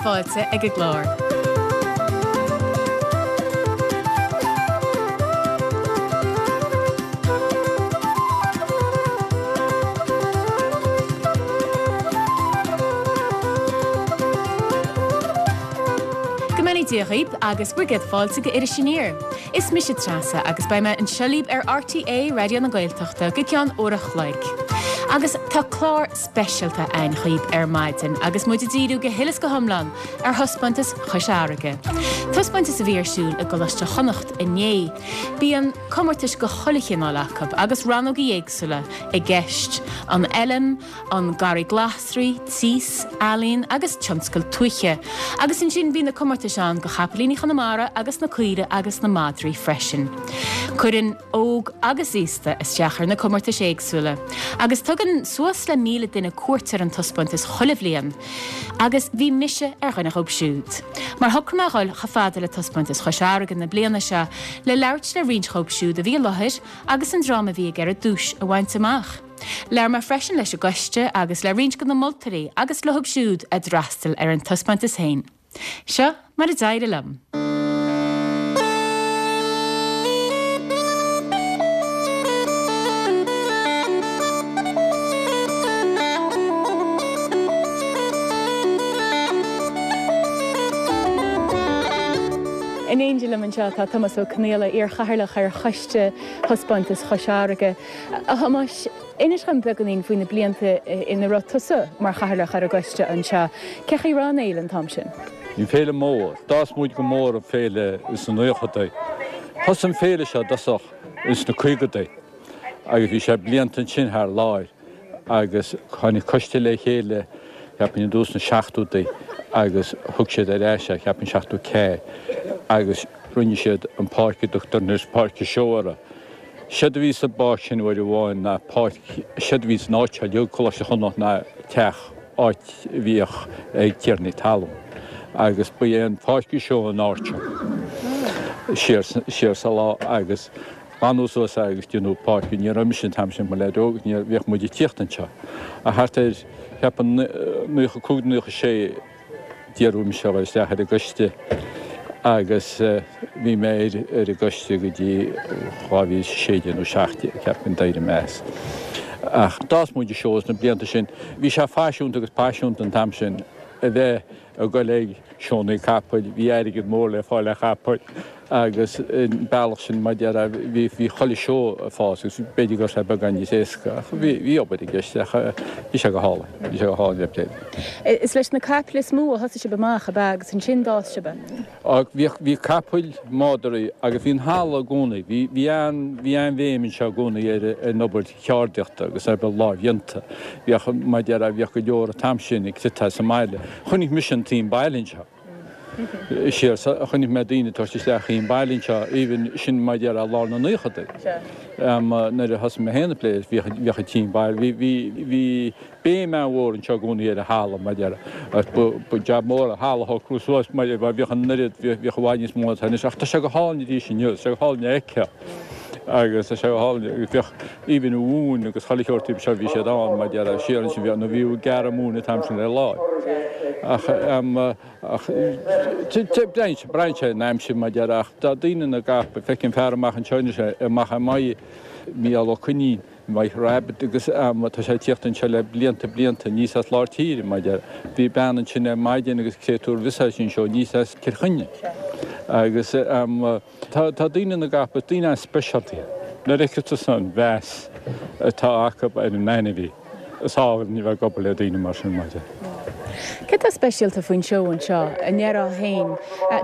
fáilte ag an gclár. Go mbeannaí Dia dhaoib agus bhur gcéad fáilte go Iris Aniar. Is mise Treasa agus beidh mé anseo libh ar RTÉ Raidió na Gaeltachta go ceann uair a chloig. Agus tá clár speisialta a'inn dhaoib ar maidin agus muid ag díriú go huile is go hiomlán ar thaispeántas Chois Fharraige. Taispeántas a bhí ar siúl i gColáiste Chonnacht inné. Bíonn comórtais de chuile chineál acu agus rannógaí éagsúla i gceist, an fheilm, an garraí glasraí, tíos, ealaín agus tionscal tuaithe. Agus ansin bíonn na comórtais ann do chapaillíní Chonamara agus na caoirigh agus na madraí freisin. Cuireann óg agus aosta isteach ar na comórtais éagsúla agus tugann suas le 1,000 duine cuairt ar an taispeántas chuile bhliain. Agus bhí mise ar dhuine dhóibh siúd. Mar shocraigh mé a dhul chomh fada le taispeántas Chois Fharraige na bliana seo le labhairt le roinnt dhóibh siúd a bhí i láthair agus an dream a bhí ag iarraidh duais a bhaint amach. Labhair mé freisin leis an gcoiste agus le roinnt de na moltóirí agus leothub siúd a d'fhreastail ar an taispeántas féin. Seo mar a d'éirigh liom. In éindí liom anseo tá Tomás Ó Conaola, iar-chathaoirleach ar choiste Thaispeántas Chois Fharraige. A Thomáis, inis dhom beagáinín faoi na blianta ina raibh tusa mar chathaoirleach ar an gcoiste anseo. Cé chaoi a raibh an fhéile an t-am sin? Bhí an féile mór. D'fhás muid go mór an féile ins na naochadaí. Thosaigh an féile seo i dtosach ins na caogadaí agus bhí sé blianta ansin thar láir agus tháinig coiste le chéile cheapfainn i dtús na seachtódaí agus thug siad ar ais é cheapfainn 74 agus rinne siad an páirc a dtugtar anois Páirc an Seó uirthi. Séard a bhí sa bpáirc sin uair amháin ná páirc, séard a bhí san áit seo uilig, Coláiste Chonnacht ná teach, áit a bhíodh ag tiarnaí talún. Agus ba é an Pháirc an Seó an áit seo siar, siar sa lá agus glanadh suas é agus déanadh páirc. Ní raibh mise an t-am sin i mo leaid óg, ní, bhíodh muid ag tíocht anseo. Ach thart ar, cheapfainn, 95, 96, D'iarradh mise a dhul isteach ar an gcoiste agus bhí mé ar an gcoiste go dtí 2016 nó 17, ceapaim, d'éirigh mé as. Ach d'fhás muid an seó sna blianta sin. Bhí sé faisiúnta agus paiseanta an t-am sin a bheith ag dul ag seónna capaill, bhí airgead mór le fáil ar chapaill. Agus an bealach sin, mar a déarfá, bhí, bhí chuile seó ag fás agus b'fhéidir go raibh sé beagán níos éasca ach bhí, bhí obair i gceist ach bhí sé go hálainn, bhí sé go hálainn le plé. Is leis na caiple is mó a thosaigh sibh amach, ab ea, agus ansin d'fhás sibh? Á, bhíodh, bhí capaill, madraí agus bhí an halla i gcónaí, bhí, bhí an, bhí an-bhéim anseo i gcónaí ar, ar an obair cheardaíochta agus ar obair lámhdhéanta. Bhíodh, mar a déarfá, bhíodh go leor an t-am sin ag cniotáil sa mbaile. Chonaic mise an t-im baile anseo. Siar, chonaic mé daoine ag tabhairt isteach im baile anseo, even sin mar a déarfá lár na naochadaí. Nuair a thosaigh mé féin ag plé, bhíodh bhíodh an t-im baile, bhí bhí bhí béim an-mhór anseo i gcónaí ar an halla mar a déarfá. Agus ba ba jab mór an halla a shocrú suas mar bhíodh an oiread, bhíodh i bhfad níos mó ná atá anois. Ach tá sé go hálainn arís inniu, tá sé go hálainn a fheiceáil. Agus tá sé go hálainn, agus bhíodh even an mhóin agus chuile shórt taobh seo, bhí siad ann mar a déarfá siar ansin, bhí, nó bhí gearradh móin an t-am sin ar láimh. Ach, ach, braitheann sé, braitheann sé an aimsir mar a déarfá, ach tá daoine na gcapall, feicim fear amach anseo anois, amach ar m'aghaidh, Mícheál Ó Coinín, Mike Rabbit agus tá sé ag tíocht anseo le blianta blianta aníos as lár tíre mar a déarfá. Bhí bean ansin ar maidin agus créatúr visage anseo aníos as Cill Chainnigh. Agus Tá daoine na gcapall, daoine an-speisialta iad. Nuair a fheiceann tusa an mheas atá acu ar an ainmhí, is álainn a bheith ag obair le daoine mar sin, mar a déarfá. Céard atá speisialta faoin seó anseo, a ndéarfá féin?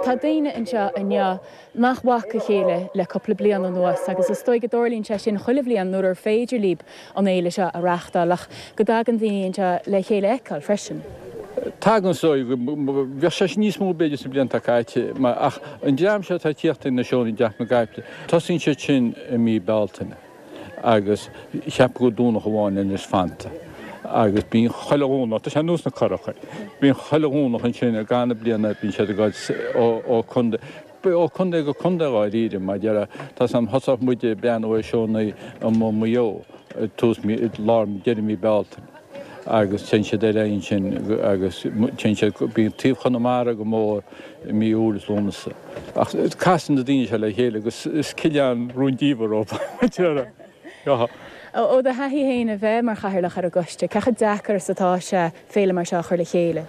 Tá daoine anseo inniu nach bhfaca a chéile le cúpla bliain anuas agus is dóigh go dtarlaíonn sé sin chuile bhliain nuair ar féidir libh an fhéile seo a reáchtáil ach go dtagann daoine anseo le chéile a fheiceáil freisin. Tagann is dóigh, bheadh sé sin níos mó b'fhéidir sna blianta caite, ach an dream seo atá ag tíocht ag na seónna i dTeach na gCaiple, tosaíonn siad sin i mí Bealtaine agus cheapfainn gur Domhnach amháin anois fanta agus bíonn chuile Dhomhnach, tá sé ar nós na curacha, bíonn chuile Dhomhnach ansin i gcaitheamh na bliana, bíonn siad ag dul ó chontae, ó chontae go contae dháiríre, mar a déarfá, tá 's a'm, thosódh muid ag breathnú ar seónna i Maigh Eo, tús mí, lár, deireadh mí Bealtaine. agus téann siad ar aghaidh ansin agus téann siad, bíonn taobh Chonamara go mór i mí Iúil is Lúnasa. Ach casann na daoine seo le chéile agus is coileán rúndiamhair dóibh. Ó do thaithí féin a bheith mar chathaoirleach ar an gcoiste, cé chomh deacair is atá sé féile mar seo a chur le chéile?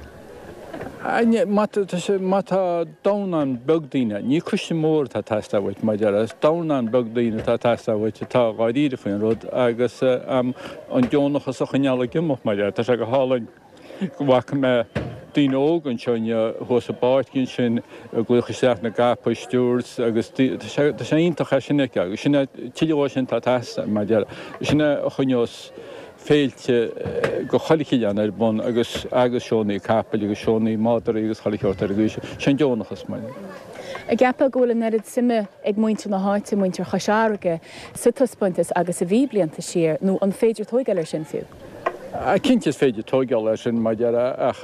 Má tá dornán beag daoine, ní coiste mór atá ag teastáil uait, mar a déarfá, is dornán beag daoine atá ag teastáil uait atá dháiríre faoin rud agus an deonachas a choinneáil ag imeacht, mar a déarfá. Tá sé go hálainn go bhfaca mé daoine óga anseo inniu thuas i bpáirc ansin ag glaoch isteach na gcapall, stewards agus tá sé tá sé iontach é sin a fheiceáil agus sin é tuilleadh dhó sin atá ag teastáil, mar a déarfá. Sin é a choinneos féilte go chuile chineál ar bun agus agus seónnaí capaill agus seónnaí madraí agus chuile sheort ar an gcaoi sin. Sé an deonachas mar. An gceapfá go bhfuil an oiread suime ag muintir na háite, muintir Chois Fharraige, sa taispeántas agus a bhí blianta siar, nó an féidir tóigeáil air sin fiú? Cinnte is féidir tóigeáil air sin mar a déarfá ach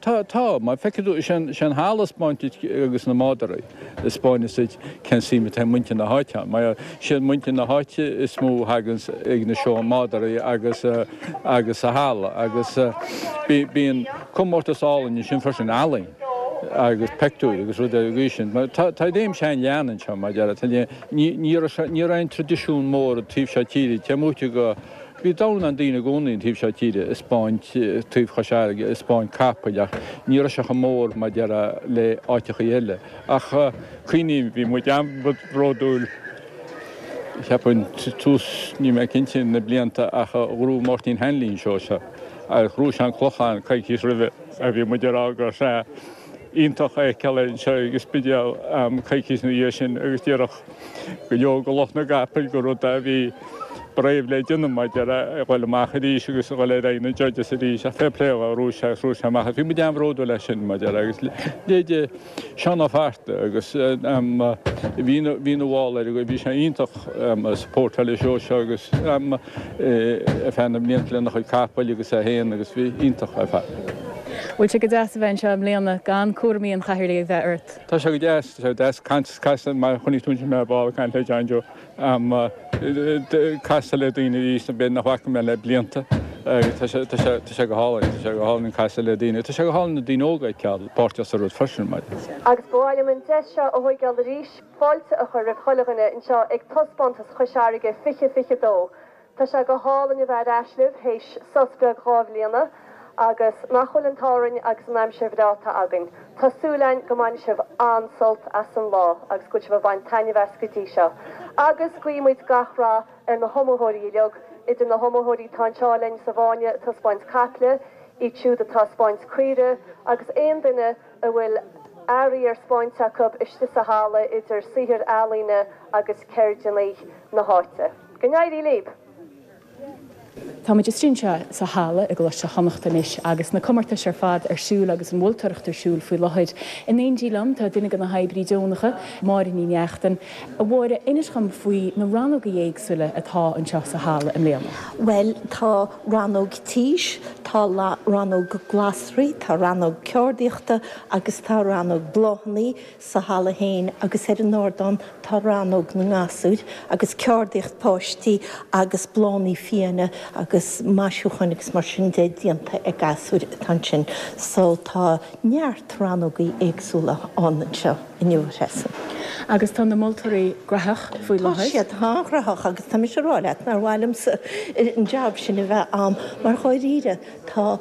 tá, tá, má feicfidh tú, sé an halla a 'spáint duit agus na madraí. a 'spáineas duit cén suim atá ag muintir na háite ann. Mar siad muintir na háite is mó a thaganns ag na seó madraí agus agus sa halla agus bíonn comórtas álainn ansin freisin, ealaín agus peictiúir agus rudaí ar an gcaoi sin. Mar tá tá réimse an-leathan anseo mar a déarfá. Ní ní raibh ní raibh aon traidisiún mór an taobh seo tíre, cé móite go Bhí dornán daoine i gcónaí an taobh seo tíre ag 'spáint taobh Chois Fharraige, ag 'spáint capaill ach ní raibh sé chomh mór mar a déarfá le áiteachaí eile. Ach cuimhním, bhí muid an-bhródúil, cheapfainn, tús, níl mé cinnte, na blianta ach ghnóthaigh Máirtín Hanley an seó seo agus ghnóthaigh sé an Clochán coicís roimhe a bhí muid ag rá go raibh sé iontach a fheiceáil anseo ag an Spidéal coicís ina dhiaidh sin agus déarfadh go leor de lucht na gcapall gur rud é a bhí brave le déanamh mar a déarfá a dhul amach arís agus a dhul ar aghaidh na judges arís ach fair play dó ghnóthaigh sé agus ghnóthaigh sé amach agus bhí muid an-bhródúil as sin mar a déarfá agus leithéide Seán Ó Fatharta agus bhí ina bhall air bhí sé iontach supportáil an seó seo agus ar feadh na mblianta lena chuid capaill agus é féin agus bhí iontach ar fad. Bhfuil sé go deas a bheith anseo i mbliana gan cúraimí an chathaoirligh a bheith ort? Tá sé go deas, tá sé go deas caint casadh mar chonaic tú ansin mé ar ball ag caint le John Joe. Casadh le daoine arís b'fhéidir nach bhfaca mé le blianta agus tá sé, tá sé, tá sé go hálainn, tá sé go hálainn casadh le daoine, tá sé go hálainn na daoine óga a fheiceáil páirteach sa rud freisin mar. Agus ba mhaith liom an deis seo a thóigeáil arís fáilte a chur roimh chuile dhuine anseo ag Taispeántas Chois Fharraige 2022. Tá sé go hálainn a bheith ar ais libh théis sos beag 2 bhliana agus nach bhfuil an t-ádh orainn agus an aimsir bhreá atá againn. Tá súil againn go mbainfidh sibh an-sult as an lá agus go bhfuil sibh ag baint taitneamh as go dtí seo. Agus guímid gach rath ar na hiomaitheoirí uilig, idir na hiomaitheoirí atá anseo linn sa bhfáinne ag taispeáint caiple, iad siúd atá ag 'spáint caoire agus aon duine a bhfuil earraí ar 'spáint acu istigh sa halla idir saothair ealaíne agus ceirdeanna na háite. Go n-éirí libh! Táimid istigh anseo sa halla i gColáiste Chonnacht anois agus na comórtais ar fad ar siúl agus an mholtóireacht ar siúl faoi láthair. In éindí liom tá duine de na hoibrithe deonacha, Máire Ní Neachtain. A Mháire, inis dhom faoi na rannóga éagsúla atá anseo sa halla i mbliana. Bhuel, tá rannóg tís, tá rannóg glasraí, tá rannóg ceardaíochta agus tá rannóg bláthanna. Sa halla féin agus ar an ardán tá rannóg na ngasúir agus ceardaíocht páistí agus bláthanna fiáine agus maisiúcháin agus mar sin de déanta ag gasúir atá ansin. So tá neart rannógaí éagsúla ann anseo inniu, a Threasa. Agus tá na moltóirí graitheach faoi láthair. Tá siad an-ghraitheach agus tá mise a rá leat nár mhaith liomsa an jab sin a bheith a'm mar dháiríre tá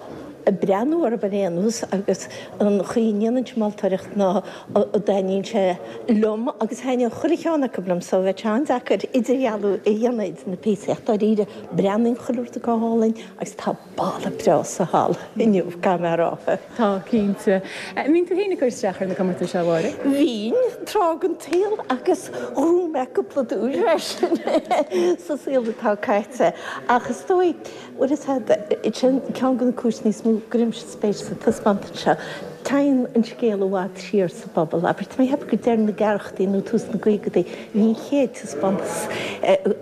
ag breathnú orthu ar aon nós agus an chaoi a ndéanann siad moltóireacht ná a dtaitníonn sé liom agus thaitníonn chuile cheann acu liom so bheadh sé an-deacair idirdhealú a dhéanamh idir na píosaí ach dáiríre breathnaíonn chuile rud go hálainn agus tá boladh breá sa halla inniu caithfidh mé a rá. Tá, cinnte. An mbíonn tú féin ag cur isteach ar na comórtais seo, a Mháire? Bhínn, tráth den tsaol agus ghnóthaigh mé cúpla duais freisin sa saol atá caite ach is dóigh Bhuel, is ea, sin ceann de na cúiseanna is mó go gcuirimse spéis sa taispeántas seo. Téann an scéal i bhfad siar sa bpobal. Abair, tá mé ag ceapadh gur deireadh na gceathrachaidí nó tús na gcaogaidí a bhí an chéad taispeántas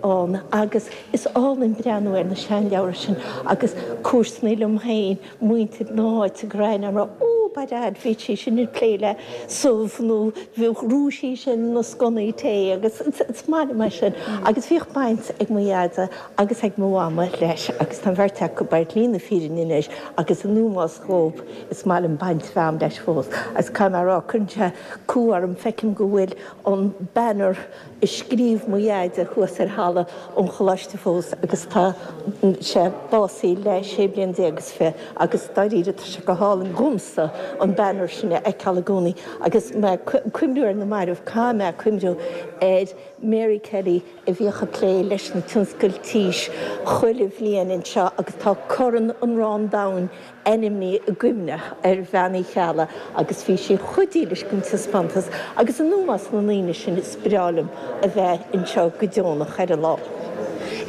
ann agus is álainn breathnú ar na seanleabhra sin agus comharsanaí liom féin, muintir na háite ag rá, Ó! Ó, by dad, bhí sí sin ag plé le subh nó bhrú sí sin na sconnaí tae agus is maith liom é sin. Agus bhíodh baint ag mo dheaide agus ag mo mhama leis agus tá an bheirt acu ar shlí na fírinne anois agus in ómós dhóibh is maith liom baint a bheith a'm leis fós. Agus caithfidh mé a rá, cuireann sé cumha orm, feicim go bhfuil an banner a scríobh mo dheaide thuas ar halla an choláiste fós agus tá sé básaithe le sé bliana déag is fi agus dáiríre tá sé go hálainn dhomsa an banner sin a fheiceáil i gcónaí agus mé ag cuimhniú ar na mairbh, caithfidh mé cuimhniú ar Mary Kelly a bhíodh ag plé leis na tionscail tís chuile bhliain anseo agus tá Corn an Ráin Domhain ainmnithe i gcuimhne ar Bhean Uí Cheallaigh agus bhí sí chomh dílis don taispeántas agus in ómós na ndaoine sin is breá liom a bheith anseo go deonach ar an lá.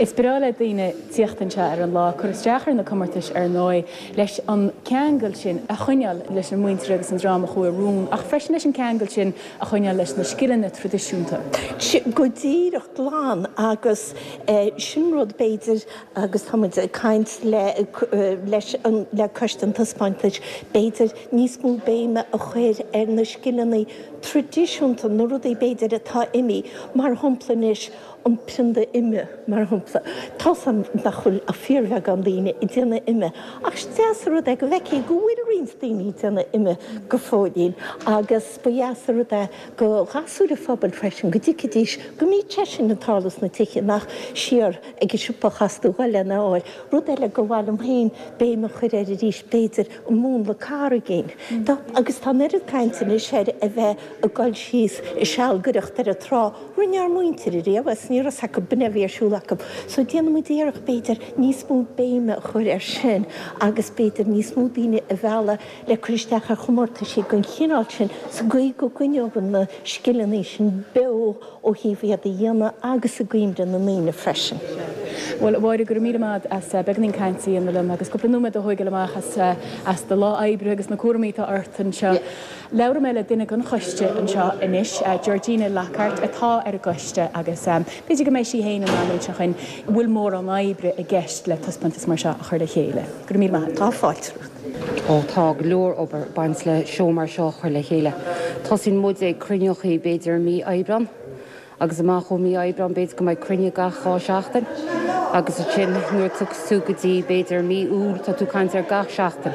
Is breá le daoine tíocht anseo ar an lá, cur isteach ar na comórtais ar ndóigh, leis an ceangal sin a choinneáil leis an muintir agus an dream a chuaigh i rún ach freisin leis an ceangal sin a choinneáil leis na scileanna traidisiúnta. Go díreach glan agus sin rud b'fhéidir Agus tá muid ag caint le leis an le coiste an taispeántais, b'fhéidir níos mó béime a chur ar na scileanna traidisiúnta, na rudaí b'fhéidir atá imithe, mar shampla anois an prionda ime, mar shampla. Tá's a'm nach bhfuil ach fíorbheagán daoine ag déanamh ime, ach is deas an rud é go bhfeicfí go bhfuil roinnt daoine ag déanamh ime go fóillín agus ba dheas an rud é go ghasúir an phobail freisin go dtuigfidís go mbíodh sé sin ag tarlú sna tithe, nach siar ag an siopa a chaithfeas tú dhul lena fháil. Rud eile gur mhaith liom féin béim a chur air arís, b'fhéidir, an múnla carraigín. Tá, agus tá an oiread cainte anois air a bheith ag dul síos ag sealgaireacht ar an trá. Rinne ár muintir ariamh é is ní raibh 's acu b'in a bhí ar siúl acu. So déanfaidh muid iarracht, b'fhéidir, níos mó béime a chur air sin agus b'fhéidir níos mó daoine a mhealladh le cur isteach ar chomórtaisí den chineál sin sa gcaoi go gcoinneofar na scileanna sin beo ó thaobh iad a dhéanamh agus i gcuimhne na ndaoine freisin. Bhuel, a Mháire, go raibh míle maith agat as beagáinín cainte a dhéanamh liom agus cúpla nóiméad a thóigeáil amach as as do lá oibre agus na cúraimí atá ort anseo. Labhróidh mé le duine den choiste anseo anois, Georgina Lockhart, atá ar an gcoiste agus b'fhéidir go mbeidh sí féin in ann inse dhuinn an bhfuil mórán oibre i gceist le taispeántas mar seo a chur le chéile. Go raibh míle maith agat. Tá fáilte romhat. Ó tá go leor obair ag baint le seó mar seo a chur le chéile. Tosaíonn muid ag cruinneochaí b'fhéidir i mí Aibreán agus amach ó mí Aibreán b'fhéidir go mbeidh cruinniú gach 2 seachtain agus ansin nuair a tiocfas tú go dtí b'fhéidir mí Iúil tá tú ag caint ar gach seachtain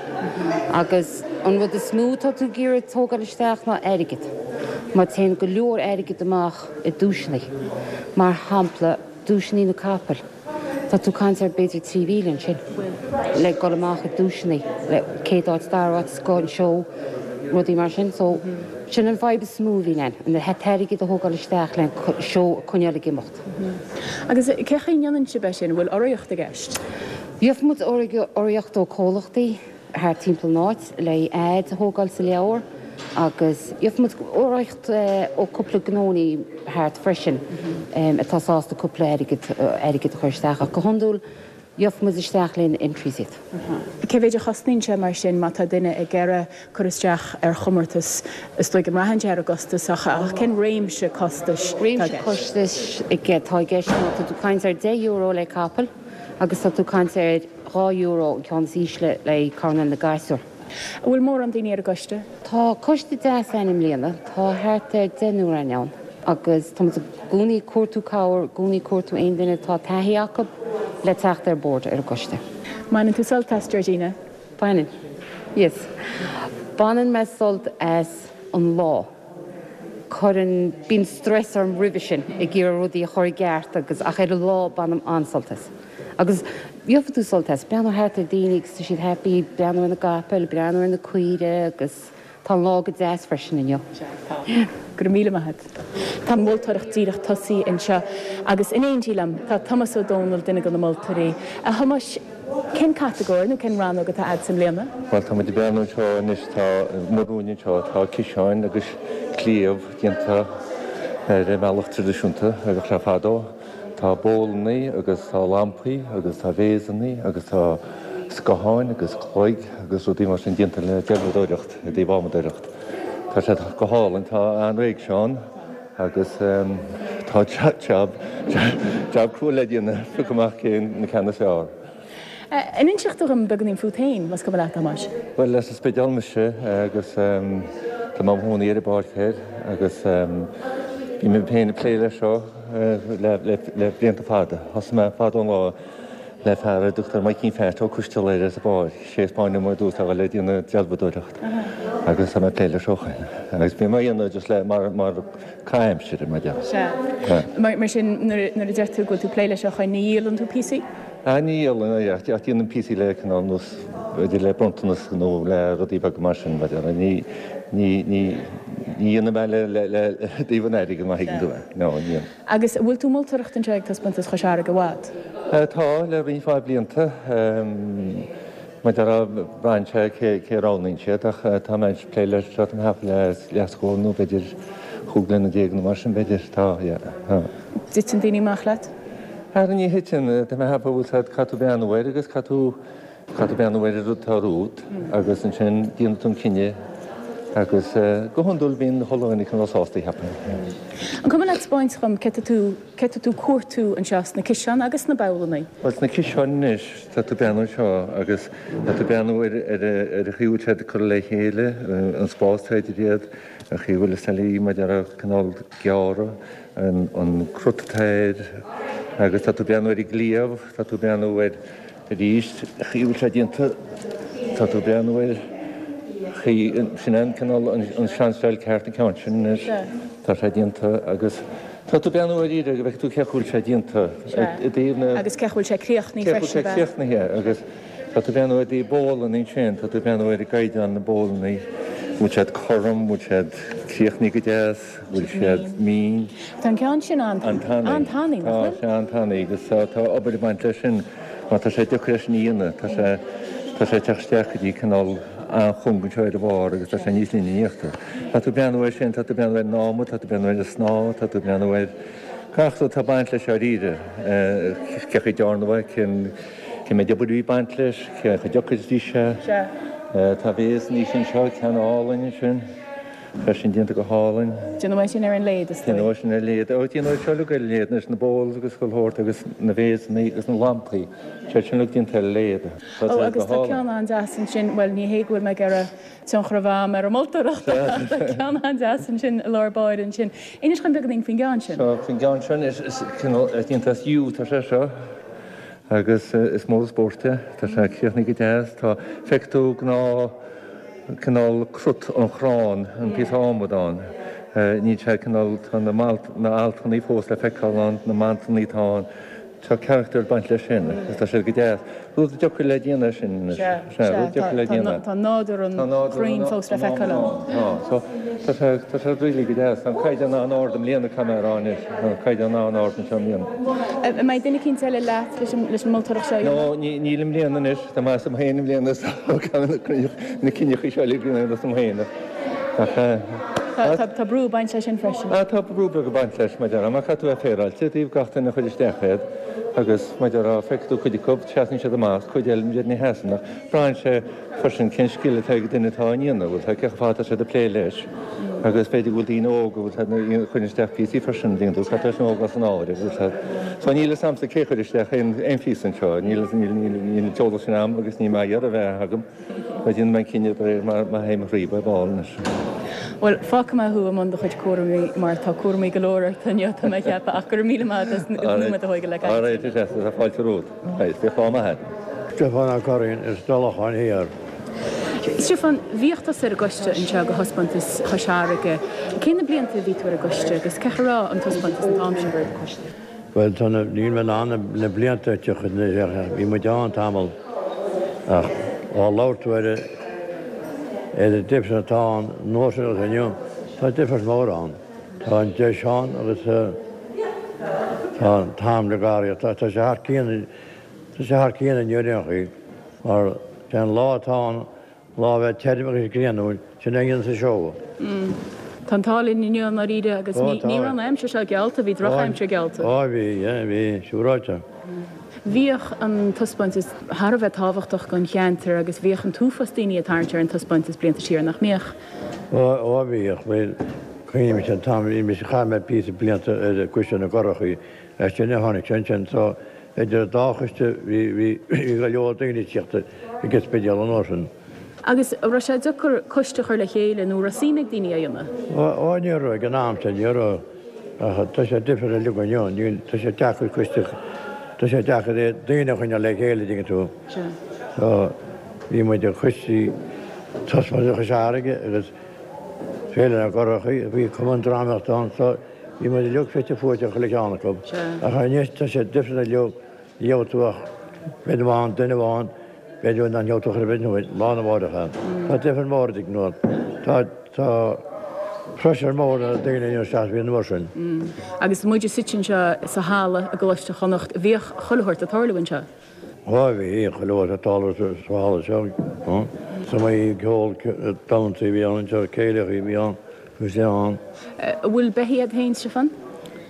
agus an rud is mó atá tú ag iarraidh tógáil isteach ná airgead mar téann go leor airgead amach i duaiseanna mar shampla duaiseanna na capaill. Tá tú ag caint ar b'fhéidir 3,000 ansin le dul amach i duaiseanna le céad áit, dara áit, scoth an seó, rudaí mar sin. So, sin an fadhb is mó a bhíonn ann, an t-airgead a thógáil isteach le an seó a coinneáil ag imeacht. Agus cé chaoi a ndéanann sibh é sin? An bhfuil urraíocht i gceist? Gheobhaidh muid urraíocht ó comhlachtaí. thart timpeall an áit le ads a thógáil sa leabhar agus gheobhaidh muid urraíocht ó cúpla gnónnaí thart freisin atá sásta cúpla airgead airgead a chur isteach ach go hiondúil gheobhaidh muid isteach le na entries iad. Cé mhéid a chosnaíonn sé mar sin má tá duine ag iarraidh cur isteach ar chomórtas? Is dóigh go mbraitheann sé ar an gcostas ach cén réimse costais atá i Réimse gceist? costais atá i gceist ná tá tú ag caint ar €10 le capall agus tá tú ag caint ar €2 an ceann is ísle le coirnéal na gasúr. An bhfuil mórán daoine ar an gcoiste? Tá coiste deas ann i mbliana. Tá thart ar deichniúr againn ann agus tá muid i gcónaí ag cuartú cabhair, i gcónaí ag cuartú aon duine atá taithí acu le teacht ar bord ar an gcoiste. Mbaineann tú sult as, Georgina? Baineann. Yes. Baineann mé sult as an lá. Cuireann, bíonn stress orm roimhe sin ag iarraidh rudaí a chur i gceart agus ach ar an lá bainim an-sult as. Agus gheobhaidh tú sult as, breathnú thart ar daoine agus tá siad happy, breathnú ar na gcapaill, breathnú ar na caoire agus tá an lá go deas freisin inniu. Sea, tá. Go raibh míle maith agat. Tá an mholtóireacht díreach tosaithe anseo agus in éindí liom tá Tomás Ó Dónaill, duine de na moltóirí. A Thomáis, cén catagóir nó cén rannóg atá a'd i mbliana? Bhuel, tá muid ag breathnú anseo anois, tá amuigh romhainn anseo, tá ciseáin agus cliabh déanta ar an mbealach traidisiúnta a bhíodh le fadó. Tá bowlannaí agus tá lampaí agus tá véasannaí agus tá scátháin agus cloig agus rudaí mar sin déanta le dealbhadóireacht, i dtaobh adhmadóireacht. Tá siad go hálainn, tá an-réimse ann agus tá jab, jab crua le déanamh, piocadh amach cén na ceanna is fearr. An inseodh tú dhom beagáinín fút féin, más cuma leat, a Thomáis? Bhuel, as an Spidéal mise agus tá mé i mo chónaí ar an bPáirc Thoir agus bhí mé féin ag plé leis seo le blianta fada. Thosaigh mé fada an lá le fear a dtugtar Maidhcín Pheait Ó Coisteala air as an bPáirc, sé a 'spáin dom ar dtús a dhul ag déanamh dealbhadóireacht agus tá mé ag plé leis ó shin. Agus bhí mé á dhéanamh just le mar mar caitheamh aimsire, mar déarfá. Sea. Mar sin nuair a deir tú go bhfuil tú ag plé leis ó shin, ní dhíolann tú píosaí? Ah ní dhíolann, ach déanaim píosaí le cineál nós b'fhéidir le bronntanas nó le rudaí beaga mar sin, mar déarfá. Ní ní ní ní dhéanaim é le le le i dtaobh an airgid má thuigeann tú mé. No, ní dhéanaim. Agus an bhfuil tú ag moltóireacht anseo ag Taispeántas Chois Fharraige i bhfad? Tá, le roinnt mhaith blianta. Mar déarfá, braitheann sé cé cé a roghnaíonn siad ach tá mé ag plé leis seo tá mé ag ceapadh le leathscór nó b'fhéidir chúig bliana déag nó mar sin b'fhéidir. Tá, yeah, tá. Dtiteann daoine amach leat? Ara ní thiteann, tá mé ag ceapadh bhfuil siad, caithfidh tú breathnú air agus caithfidh tú, Caithfidh tú breathnú ar an rud atá romhat agus ansin déanann tú an cinneadh agus go hiondúil bíonn chuile dhuine cineál sásta, cheapfainn. An cuma leat 'spáint dhom cé tá tú, cé tá tú cuartú anseo sna ciseáin agus sna babhlannaí? Bhuel sna ciseáin anois, tá tú breathnú anseo agus tá tú breathnú ar ar ar an chaoi a bhfuil siad curtha le chéile, an spás atá idir iad, an chaoi a bhfuil na seilí mar déarfá cineál gearrtha, an an crut atá air agus tá tú breathnú ar an gcliabh, tá tú breathnú ar Arís, an chaoi a bhfuil sé déanta, tá tú ag breathnú ar chaoi, sin é an cineál, an seanstyle ceart an ceann sin anois, tá sé déanta agus tá tú ag breathnú ar iarraidh go bhfeicfidh tú cé chaoi bhfuil sé déanta i dtaobh na. Agus cé chaoi bhfuil sé críochnaithe freisin. Cé chaoi bhfuil sé críochnaithe agus tá tú ag breathnú i dtaobh bowlanna ansin, tá tú ag breathnú ar an gcaighdeán na bowlanna, bhfuil siad cothrom, bhfuil siad críochnaithe go deas. bhfuil siad mín. Tá an ceann sin an-tanaí. An-tanaí, nach bhfuil? Tá sé an-tanaí agus tá obair ag baint leis sin mar tá sé deacair é sin a dhéanamh. Tá sé tá sé ag teacht isteach go dtí cineál an-chúng anseo ar an bharr agus tá sé níos linne in íochtar. Tá tú ag breathnú air sin, tá tú ag breathnú ar an adhmad, tá tú ag breathnú ar an snáth, tá tú ag breathnú ar gach rud atá ag baint leis dáiríre. Cé chaoi a dearnadh é, cén cén méid obair a bhí ag baint leis, cé chomh deacair is a bhí sé. Tá vase níos anseo, ceann álainn ansin. Tá sin déanta go hálainn. Déanadh é sin ar an lathe, is dóigh. Déanadh é sin ar lathe. Ó, déanadh é seo uilig ar lathe, anois, na bowls agus chuile shórt agus na vaseanna agus na lampaí. Tá sin uilig déanta ar lathe. Tá Ó, agus tá ceann an-deas ansin, bhuel, ní hé go bhfuil mé ag iarraidh tionchar a bheith a'm ar an moltóireacht ach tá ceann an-deas ansin i lár báire ansin. Inis dhom beagáinín faoin gceann sin. Seo, faoin gceann seo anois, is cineál déanta as yew atá sé seo agus is mór an spórt é. Tá sé críochnaithe go deas. Tá, feicfidh tú gnáth. cineál crut an chrann, an píosa adhmaid ann. Níl sé cineál, tá na na altannaí fós le feiceáil ann, na mantannaí atá ann. Tá carachtar ag baint leis sin agus tá siad go deas. Rud deacair le déanamh é sin anois. Sea, sea, rud deacair le déanamh. Tá nádúr an chrainn fós le feiceáil ann. Tá, so tá sé, tá sé really go deas. Tá an caighdeán an-ard i mbliana, caithfidh mé a rá anois. Tá an caighdeán an-ard anseo i mbliana. An mbeidh duine eicínt eile leat leis an moltóireacht seo a dhéanamh? No, níl i mbliana anois. Tá mé asam féin i mbliana so caithfidh mé na cinneachaí seo uilig a dhéanamh asam féin ach Tá tá brú ag baint leis sin freisin. Ah tá brú beag ag baint leis mar déarfá mar caithfidh tú a bheith féaráilte i dtaobh gach duine a chuir isteach iad agus mar déarfá feicfidh tú cuid acu seasann siad amach cuid eile b'fhéidir ní sheasann ach braitheann sé freisin cén scil atá ag an duine atá á ndéanamh bhfuil cé chomh fada atá siad ag plé leis agus b'fhéidir go bhfuil daoine óga bhfuil siad a chuireann isteach píosaí freisin bíonn tú caithfidh tú sin a thógáil san áireamh bhfuil siad so níl fhios a'msa cé chuir isteach aon aon phíosa anseo níl níl níl níl an t-eolas sin a'm agus níl mé ag iarraidh a bheith agam mar déanfaidh mé an cinneadh de réir mar mar théim thríob ar ball anois. Bhuel, fágfaidh mé thú i mbun do chuid cúraimí mar tá cúraimí go leor ort inniu tá mé ag ceapadh ach go raibh míle maith agat as an nóiméad a thógáil le caint. Alright, tá fáilte romhat. Right, bíodh lá maith a'd. Stiofán Ó Curraoin as Tulacháin Thiar. Stiofán, bhíodh tusa ar an gcoiste anseo do thaispeántas Chois Fharraige. Cé na blianta a bhí tú ar an gcoiste agus cé chaoi a raibh an taispeántas an t-am sin? Bhuel, tá na, níl mé in ann na blianta a thiocfaidh anois, bhí muid ann tamall ach á labhairt tú ar ar an difear atá ann an uair sin agus inniu, tá difear mór ann. Tá an deis ann agus tá an t-am le garraí, tá sé thar cionn, tá sé thar cionn inniu ar aon chaoi mar sé an lá atá ann, lá a bheith tirim agus grianúil, sin é a dhéanas an seó. Tá an t-ádh linn inniu i ndáiríre agus ní raibh an aimsir seo geallta, bhí drochaimsir geallta. Ó bhí, yeah, bhí, siúráilte. Bhíodh an taispeántas thar a bheith tábhachtach don cheantar agus bhíodh an t-uafás daoine ag tarraingt ar an taispeántas blianta siar, nach mbíodh? Ó bhíodh, bhuel, cuimhním an t-am, bhí mise, chaith mé píosa blianta ar Choiste na gCurachaí, as sin a tháinig sé ansin, so. Idir an dá choiste bhí bhí bhí go leor daoine ag tíocht ag an Spidéal an uair sin. Agus an raibh sé deacair coiste a chur le chéile nó an raibh suim ag daoine é a dhéanamh? Ó ní raibh ag an am sin, ní raibh. Ach tá sé difriúil uilig inniu, níl, tá sé deacair coiste, tá sé deacair daoine a choinneáil le chéile, dtuigeann tú. Sea. So bhí muid ag coistí Taispeántas Chois Fharraige agus Féile na gCurrachaí, bhí cumann drámaíochta ann so bhí muid uilig fite fuaite chuile cheann acu. Sea. Ach anois tá sé difriúil uilig, ní gheobhaidh tú ach b'fhéidir amháin, duine amháin, b'fhéidir nach ngeobhaidh tú chor ar bith nó lá na mháireach. Tá difear mór idir nó tá tá pressure mór ar daoine inniu seachas bhí an uair sin. Agus muid suite anseo sa halla i gColáiste Chonnacht, bhíodh chuile shórt ag tarlú anseo. Ó bhí chuile shórt ag tarlú sa halla seo. Is iomaí ceol damhsaí a bhí ann anseo, céilí a bhí ann, bhí sé ann. An bhfuil beithígh agat féin, Stiofán?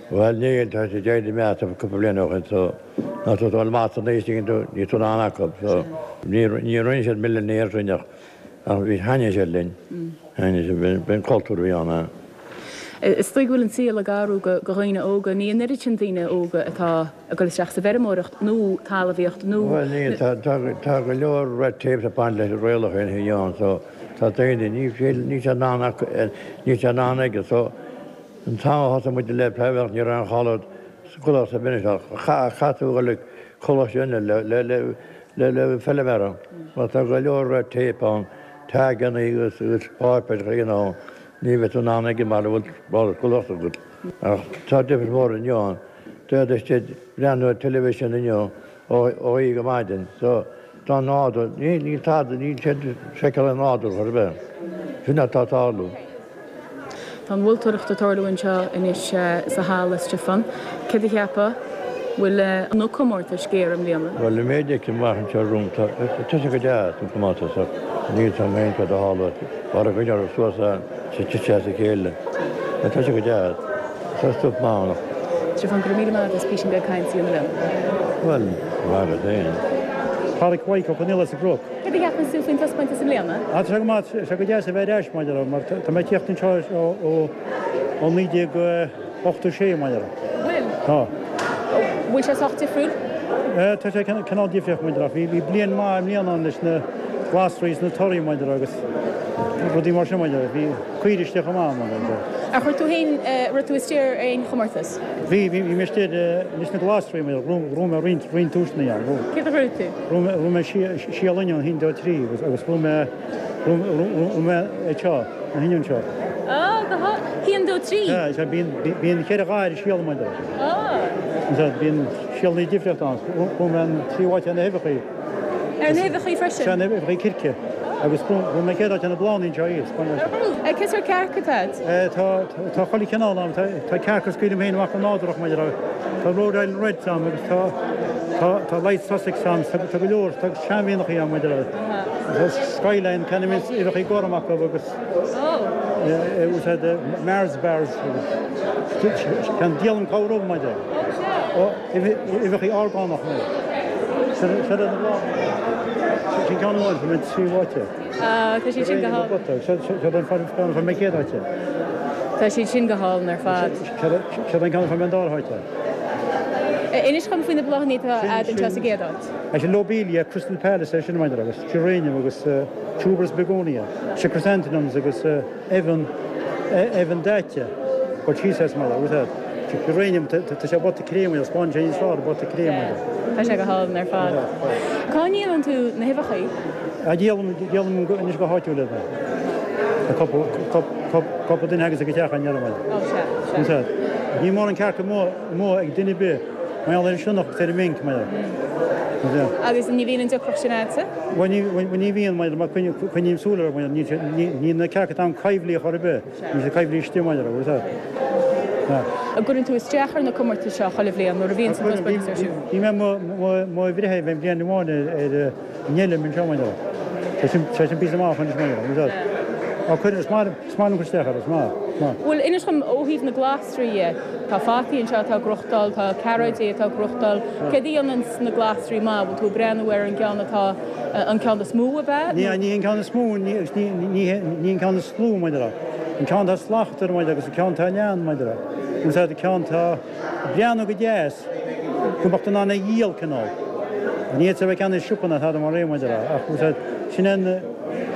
Bhuel níl, tá siad éirithe meáite cúpla bliain ó shin so nuair atá tú ag dul amach san aois tuigeann tú, níl tú in ann acu so ní rinne siad millionaires sinn ach ach bhí thaitnigh siad linn, thaitnigh siad, b'in cultúr a bhí ann. Is dóigh go bhfuil an saol ag athrú do dhaoine óga, ní an oiread sin daoine óga atá ag dul isteach sa bhfeirmeoireacht nó talmhaíocht nó. Bhuel níl, tá tá go leor red tape ag baint leis an rialacha inniu ann so tá daoine, níl siad in ann acu, níl siad in ann aige so An t-am a thosaigh muid le feirmeoireacht ní raibh aon chailleadh sa gcoláiste ar bith ach chaith tú a dhul ag coláiste eile le le le feilméara mar tá go leor red tape ann, taganna agus agus páipéir you know ní bheidh tú in ann ag an mbaile bhfuil bhfuil coláiste agat. Ach tá difear mór inniu ann. D'fhéadfadh siad breathnú ar television inniu ó oíche go maidin. So, tá nádúr, níl, níl tada, níl siad ag seiceáil an nádúr chor ar bith. Sin atá ag tarlú. Tá an mholtóireacht ag tarlú anseo anois sa halla, Stiofán. Céard a cheapfá? Bhfuil na comórtais géar i mbliana? Bhuel, an méid a fheicim amach anseo romham, tá, tá sé go deas, an comórtas, ach níl 'fhios a'm féin cad a tharla, mar a gcoinneoir suas a, sa tite as a chéile. Tá sé go deas. Tá stuif maith ann. Stiofán, go raibh míle maith agat as písín beag cainte a dhéanamh liom. Bhuel, maith agat féin. Pádraic Mhaidhc Ó Conaola as an gCnoc. Céard a cheapann tú faoin taispeántas i mbliana? Tá sé go maith, tá sé go deas a bheith ar ais mar a déarfá, mar tá mé ag tíocht anseo ó 1986 mar a déarfá. Bhfuil? Tá. Bhfuil sé sách difriúil? Tá sé cineál difríoch mar a déarfá. Bhí bliain maith i mbliana ann leis na glasraí is na torthaí mar a déarfá agus rudaí mar sin mar a déarfá. Bhí caoirigh istigh chomh maith mar a déarfá. Ar chuir tú féin, raibh tú istigh ar aon chomórtas? Bhí, bhí mé istigh leis na glasraí mar a déarfá. Bhuaigh mé roinnt, roinnt duaiseanna ann. Céard a bhuaigh tú? Bhuaigh mé síol oinniún, 1, 2, 3 agus bhuaigh mé, bhuaigh mé é seo, na hoinniúin seo. Á, go há, 1, 2, 3? Sea, sea, bíonn, bíonn cheithre dhath ar an síol mar a déarfá. Á. Sea, bíonn síolanna difríochta ann. Bhuaigh mé an tríú háit ar na huibheachaí. Ar na huibheachaí freisin? Sea, na huibheachaí circe. Agus bhuaigh mé chéad áit ar na bláthanna anseo thíos. Cén sórt cearc atá agat? Tá, tá chuile chineál ann. Tá, tá cearca a scaoilim féin amach go nádúrach mar a déarfá. Tá Rhode Island Reds ann agus tá, tá, tá Light Sussex ann. Tá, tá go leor, tá seanmhianachaí ann mar a déarfá. Tá Skyline, ceann a mbíonn uibheachaí gorm acu agus úsáid Mars bars agus ceann díolaim corruair mar a déarfá. Uibheachaí orgánach nó Sin iad na bláthanna. Sin ceann amháin, fuair mé an tríú háit. Tá siad sin go hálainn. Seo an ceann a fuair mé chéad áit. Tá siad sin go hálainn ar fad. Seo an ceann a fuair mé an dara háit. Inis dhom faoi na bláthanna atá agat anseo sa gcéad áit. Sin Lobelia, Crystal Palace é sin maidir agus geranium agus tuberous begonia. Sin chrysanthemums agus eibheann, eibheann daite, cur síos as mar a, geranium, tá sé bota créamaí, spáineann sé níos fearr bota créamaí. Tá sé go hálainn ar fad. Cá ndíolann tú na huibheachaí? Díolaim, díolaim anois go háitiúil iad. Cúpla duine agus ag an teach an ndéanaim. Ó sea, sea. Níl mórán cearca amuigh ag duine ar bith mar gheall ar an sionnach agus ar an minc mar. Agus ní bhíonn an deacracht sin agatsa? Bhuel ní bhíonn mar mar coinním súil orthu mar níl na cearca atá ann coimhlí chor ar bith, níl siad coimhlí istigh mar a bhfuil An gcuireann tú isteach ar na comórtais seo chuile bhliain nuair a bhíonn an taispeántas ar siúl? Bhí mé mo bhreitheamh aon bhliain amháin ar an Fheilim anseo mar Tá sin píosa maith anois mar a Cuireann is maith Is maith liom cur isteach air, is maith, is maith. Bhuel, inis dom ó thaobh na glasraí dhe. Tá fataí anseo atá ag gnóthachtáil, tá cearróidí atá ag gnóthachtáil. Céard a dhéananns na glasraí maith? Bhfuil tú ag breathnú ar an gceann atá, an ceann is mó ab ea? Ní, ní an ceann is mó, ní, agus ní, ní, ní an ceann is lú, mar a déarfá. An ceann atá slachtmhar, mar a déarfá, agus an ceann atá leathan, mar a déarfá. Úsáid an ceann atá ag breathnú go deas. go mbeadh tú in ann é a dhíol cineál. Ní fhéadfá a bheith ag ceannach i siopa ná tada mar é mar a déarfá ach bhfuil a fhios agat sin an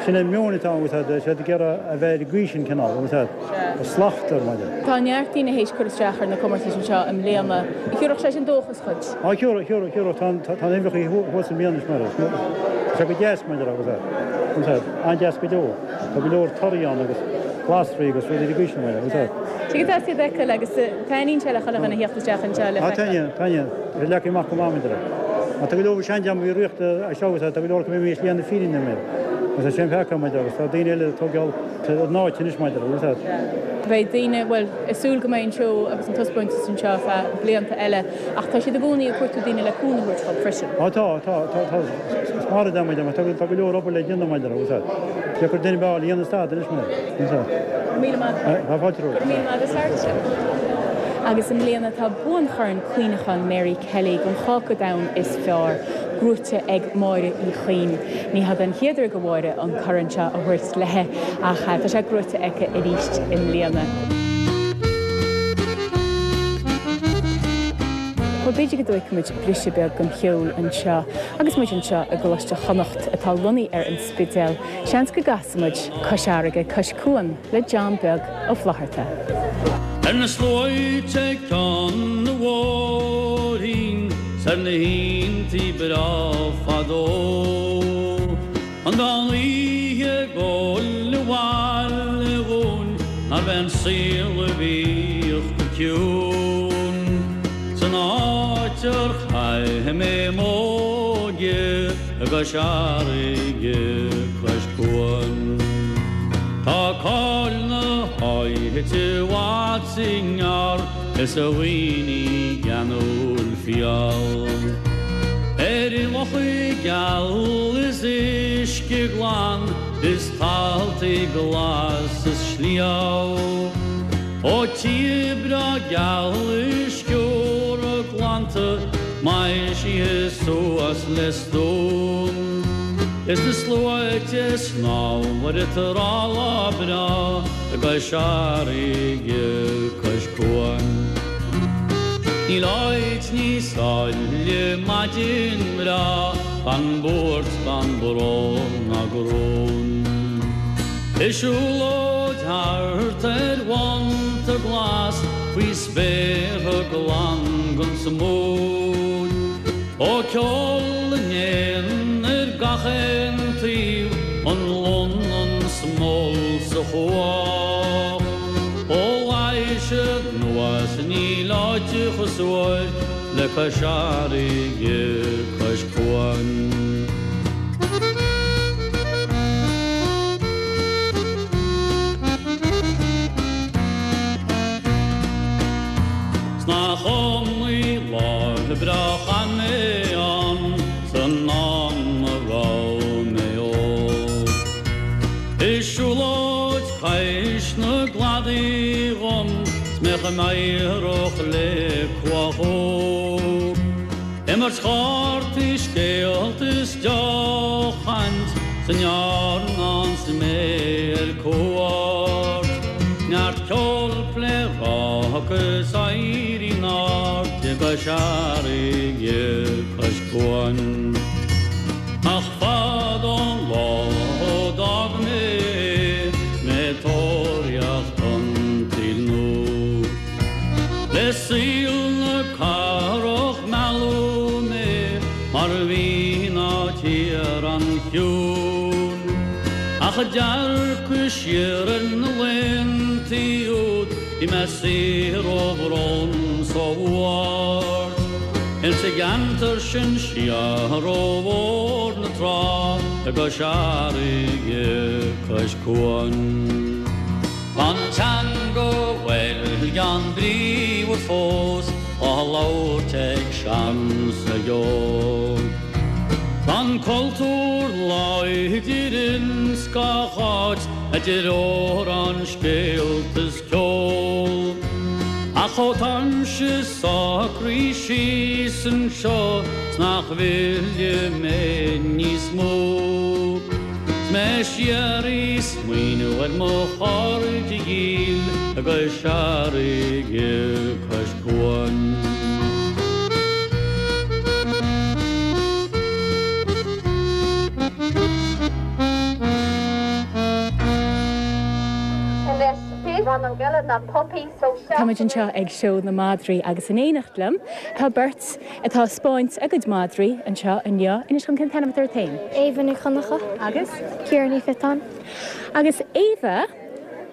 sin an meon atá ann bhfuil a fhios agat siad ag iarraidh a bheith ar an gcaoi sin cineál bhfuil a fhios agat slacht air mar a déarfá. Tá neart daoine théis cur isteach ar na comórtais anseo i mbliana. Thiúrfadh sé sin dóchas dhuit? Á thiúrfadh, thiúrfadh, thiúrfadh. Tá an tá na huimhreacha thuas i mbliana anois mar tá sé go deas mar a déarfá bhfuil a fhios agat an-deas go deo. Tá go leor torthaí ann agus glasraí agus rudaí ar an gcaoi sin mar a déarfá bhfuil a fhios agat. Sé go deas iad a fheiceáil agus taitníonn sé le chuile dhuine a theacht isteach anseo le feiceáil. Taitníonn, taitníonn. Tá sé leagtha amach go maith, mar a déarfá. Ach tá go leor seandream a bhí riachta as seo agus tá go leor acu imithe i slí na fírinne, mar. Agus tá sé an-fheicthe, mar a déarfá, agus tá daoine eile ag tógáil a n-áit anois, mar a déarfá, bhfuil a fhios agat. Beidh daoine, bhuel, ag súil go mbeidh an seó agus an taispeántas anseo ar feadh blianta eile ach tá siad i gcónaí ag cuartú daoine le cúnamh a thabhairt dóibh freisin. Á tá, tá, tá, tá. Is mar a déarfá, mar a déarfá, tá go leor obair le déanamh, mar a déarfá, bhfuil a fhios agat. Deacair duine a fháil a dhéanfas tada anois, mar a déarfá, bhfuil a fhios agat. Go raibh míle maith agat. Tá fáilte romhat. Go raibh míle maith agat as labhairt linn. Agus i mbliana tá Buanchorn Cuimhneacháin Mary Kelly don Cháca Donn is Fearr gnóite ag Máire Uí Chuinn. Ní hé an chéad uair do Mháire an corn seo a thabhairt léi ach tá sé gnóite aici arís i mbliana. Bhuel, b'fhéidir go dtóigfidh muid briseadh beag den cheol anseo agus muid anseo i gColáiste Chonnacht atá lonnaithe ar an Spidéal. Seans go gcasfaidh muid Cois Fharraige, Cois Cuain le John Beag Ó Flaithearta. Ar na sluaite ag Ceann na bhFóirín 's ar na haontaí breá fadó. An mheán oíche ag gabháil abhaile dhúinn nárbh é an saol a bhíodh go ciúin san áit ar chaith mé m'óige i gCois Fharraige cois cuain. Tá cáil na háite i bhfad 's i ngearr is a dhaoine geanúil fial. Ar locha geal is uisce glan is taltaí glas is sliabh. Ó tír breá geal is sciorra glanta maisithe suas le stuaim. Is na sluaite ag snámh ar an trá lá breá i gCois Fharraige cois cuain. Níl áit níos áille maidin bhreá gan buairt gan brón ná grún. Is siúlóid thart ar bhonnta glas faoi spéartha glan gan smúid. Ó ceol na n-éan ar gach aon taobh, an lon, an smól sa chuach. Ó Laoise anuas níl áit chomh suairc le Cois Fharraige, cois cuain. 'S nach iomaí lá breá chaith mé ann san am a raibh mé óg. Is siúlóid cois na gcladaí dhom 's mé chomh meidhreach le cuach óg. Imirt chártaí, scéalta is deochaint san iarnán 's mé ar cuairt. Neart ceoil, pléaráca is éirí in airde i gCois Fharraige cois cuain. Ach fada an lá ó d'fhág mé é 's mé ag tóraíocht an tsaoil nua. Le saol na cathrach mealladh mé mar a bhí ná tír an-chiúin. Ach ag dearcadh siar ar na laethantaí úd bhí mé saor ó bhrón 's ó bhuairt. Ins an gceantar sin siar ó Bhóthar na Trá i gCois Fharraige cois cuain. Tá an teanga bhuel gean bríomhar fós á labhairt ag sean 's ag óg. Tá an cultúr láidir ins gach áit a deir amhráin, scéalta is ceol. Ach ó táimse socraithe síos anseo 's nach bhfillfidh mé níos mó. 'S mé siar ag smaoineamh ar mo chairde dhíl i gCois Fharraige cois cuain. eile ná pupaí so Táimid anseo ag Seó na Madraí agus in éineacht liom tá beirt atá ag 'spáint a gcuid madraí anseo inniu. Inis dhom cén t-ainm atá ort féin? Éabha Ní Chonchú. Agus? Ciara Ní Phiotáin. Agus Éabha,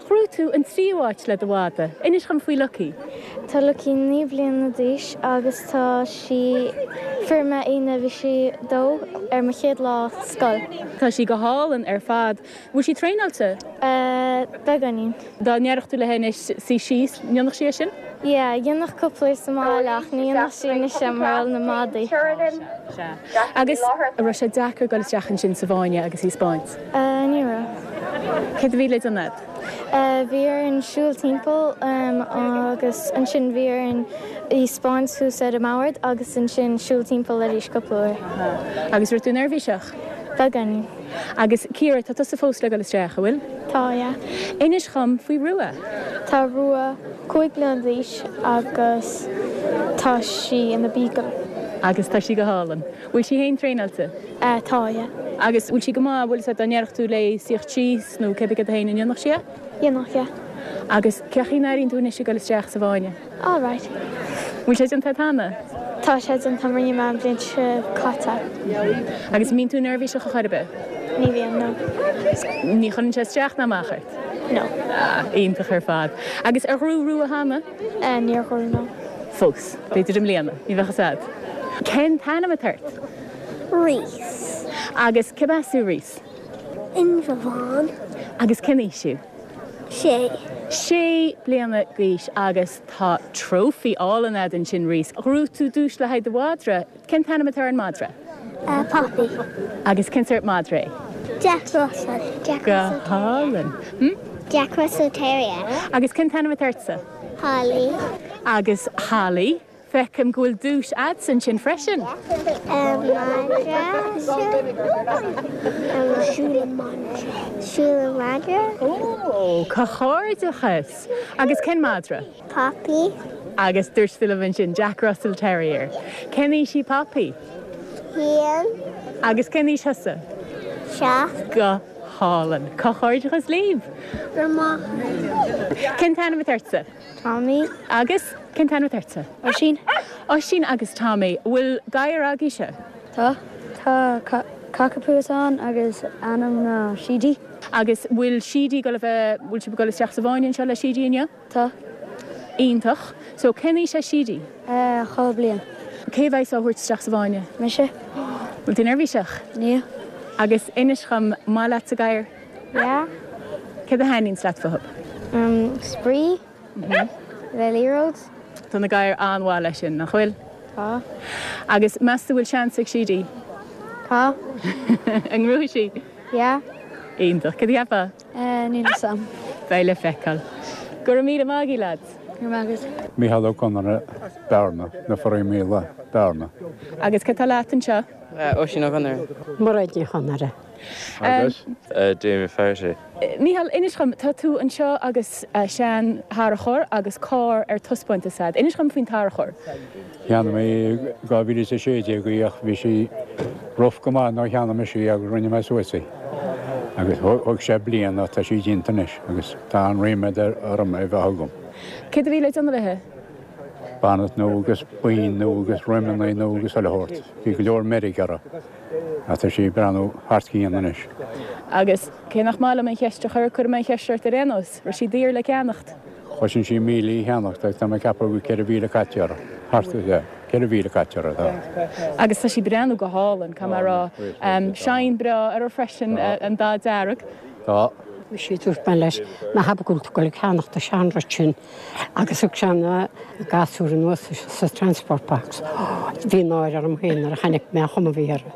ghnóthaigh tú an tríú háit le do mhadra. Inis dhom faoi Lucky. Tá Lucky 9 bliana d'aois agus tá sí, fuair mé í nuair a bhí sí dó ar mo chéad lá scoil. Tá sí go hálainn ar fad. Bhfuil sí traenáilte? Beagáinín. Dá ndéarfadh tú léi anois suí síos, an ndéanfadh sí é sin? Yeah, dhéanfadh cúpla uair sa mbaile ach ní dhéanfadh sí anois é mar gheall ar na madaí. Sea. Agus an raibh sé deacair dul isteach ansin sa bhfáinne agus í a 'spáint? Ní raibh. Céard a bhí le déanamh agat? Bhí orainn siúl timpeall agus ansin bhí orainn í 'spáint thuas ar an mbord agus ansin siúl timpeall arís cúpla uair. Agus raibh tú neirbhíseach? Beagáinín. Agus Ciara, tá tusa fós le dul isteach, an bhfuil? Tá, yeah. Inis dhom faoi Rua. Tá Rua 5 bliana d'aois agus tá sí ina beagle. Agus tá sí go hálainn. Bhfuil sí féin traenáilte? Tá, yeah. Agus bhfuil sí go maith, bhfuil a fhios agat dá ndéarfadh tú léi suíocht síos nó cébí céard é féin, an ndéanfadh sí é? Dhéanfadh, yeah. Agus cén chaoi a n-airíonn tú anois ag dul isteach sa bhfáinne? All right. Bhfuil sé déanta agat cheana? Tá sé déanta agam, rinne mé an bhliain seo caite. Agus an mbíonn tú neirbhíseach ar chor ar bith? Ní bhíonn, no. Ní chuireann sé isteach ná amach ort? No. Ah, iontach ar fad. Agus ar ghnóthaigh Rua cheana? Eh, níor ghnóthaigh, no. Fós. B'fhéidir i mbliana. Ní bheadh fhios agat. Cén t-ainm atá ort? Rhys. Agus cérbh as thú, Rhys? Indreabhán. Agus cén aois thú? Sé. Sé bliana d'aois agus tá trophy álainn agat ansin, Rhys. Ghnóthaigh tú duais le haghaidh do mhadra. Cén t-ainm atá ar an madra? Poppy. Agus cén sórt madra é? Jack Russell. Jack Go hálainn. Hm? Jack Russell Terrier. Agus cén t-ainm atá ortsa? Holly. Agus Holly, Feicim go bhfuil duais agatsa ansin freisin. Siúl an mhadra. Ó, comhghairdeachas! Agus cén madra? Poppy. Agus dúirt tú liom ansin Jack Russell Terrier. Cén aois í Poppy? Haon. Agus cén aois thusa? 7. Go hálainn. Comhghairdeachas libh! Go raibh maith. Cén t-ainm atá ortsa? Tommy. Agus cén t-ainm atá ortsa? Oisín. Oisín agus Tommy. Bhfuil gadhar agaibhse? Tá. Tá cockapoo ann agus ainm ná Sheedy. Agus bhfuil Sheedy ag dul a bheith, bhfuil sibh ag dul isteach sa bhfáinne anseo le Sheedy inniu? Tá. Iontach. So cén aois é Sheedy? 2 bliain. Cé a bheidh á thabhairt isteach sa bhfáinne? Mise. Bhfuil tú neirbhíseach? Níl. Agus inis dhom, maith leatsa gadhair? Yeah. Céard a thaitníonns leat fúthu? Spraoi. Le liathróid. Tá na gadhair an-mhaith leis sin, nach bhfuil? Tá. Agus meas tú bhfuil seans ag Sheedy? Tá. An ngnóthóidh sí? Yeah. Iontach. Céard a cheapfá? Níl a fhios a'm. Beidh le feiceáil. Go raibh míle maith agaibh, lads. Go raibh maith agat. Mícheál Ó Conaire, Bearna, Na Foraí Míola, Bearna. Agus cé atá leat anseo? Oisín Ó Conaire. Mairéad Ní Chonaire. Agus? Damien Faherty. Mícheál, inis dhom, tá tú anseo agus sean-tharracóir agus carr ar taispeántas a'd. Inis dhom faoin tarracóir. Cheannaigh mé i 2016 í ach bhí sí rough go maith nuair a cheannaigh mise í agus rinne mé suas í. Agus thóg sé bliain ach tá sí déanta anois agus tá an-ríméad orm é bheith agam. Céard a bhí le déanamh léi? Bonnet nua agus boinn nua agus rimeanna nua agus chuile shórt. Bhí go leor meirg uirthi. Ach tá sí ag breathnú thar cionn anois. Agus cé nach maith liom an cheist a chur, cuirfidh mé an cheist ort ar aon nós, raibh sí daor le ceannacht? Chosain sí 1,000 í a cheannacht agus tá mé ag ceapadh go bhfuil 4,000 caite uirthi. Thart ar, yeah, 4,000 caite uirthi, tá. Agus tá sí ag breathnú go hálainn, caithfidh mé a rá. Shine breá uirthi freisin, an dath dearg. Tá. Muise, dúirt mé leis, ná habair go bhfuil tú ag dul ag ceannacht an seanrud sin. Agus thug sé na gasúir anuas sa transport box. Bhí náire orm féin nuair a chonaic mé an chuma a bhí uirthi.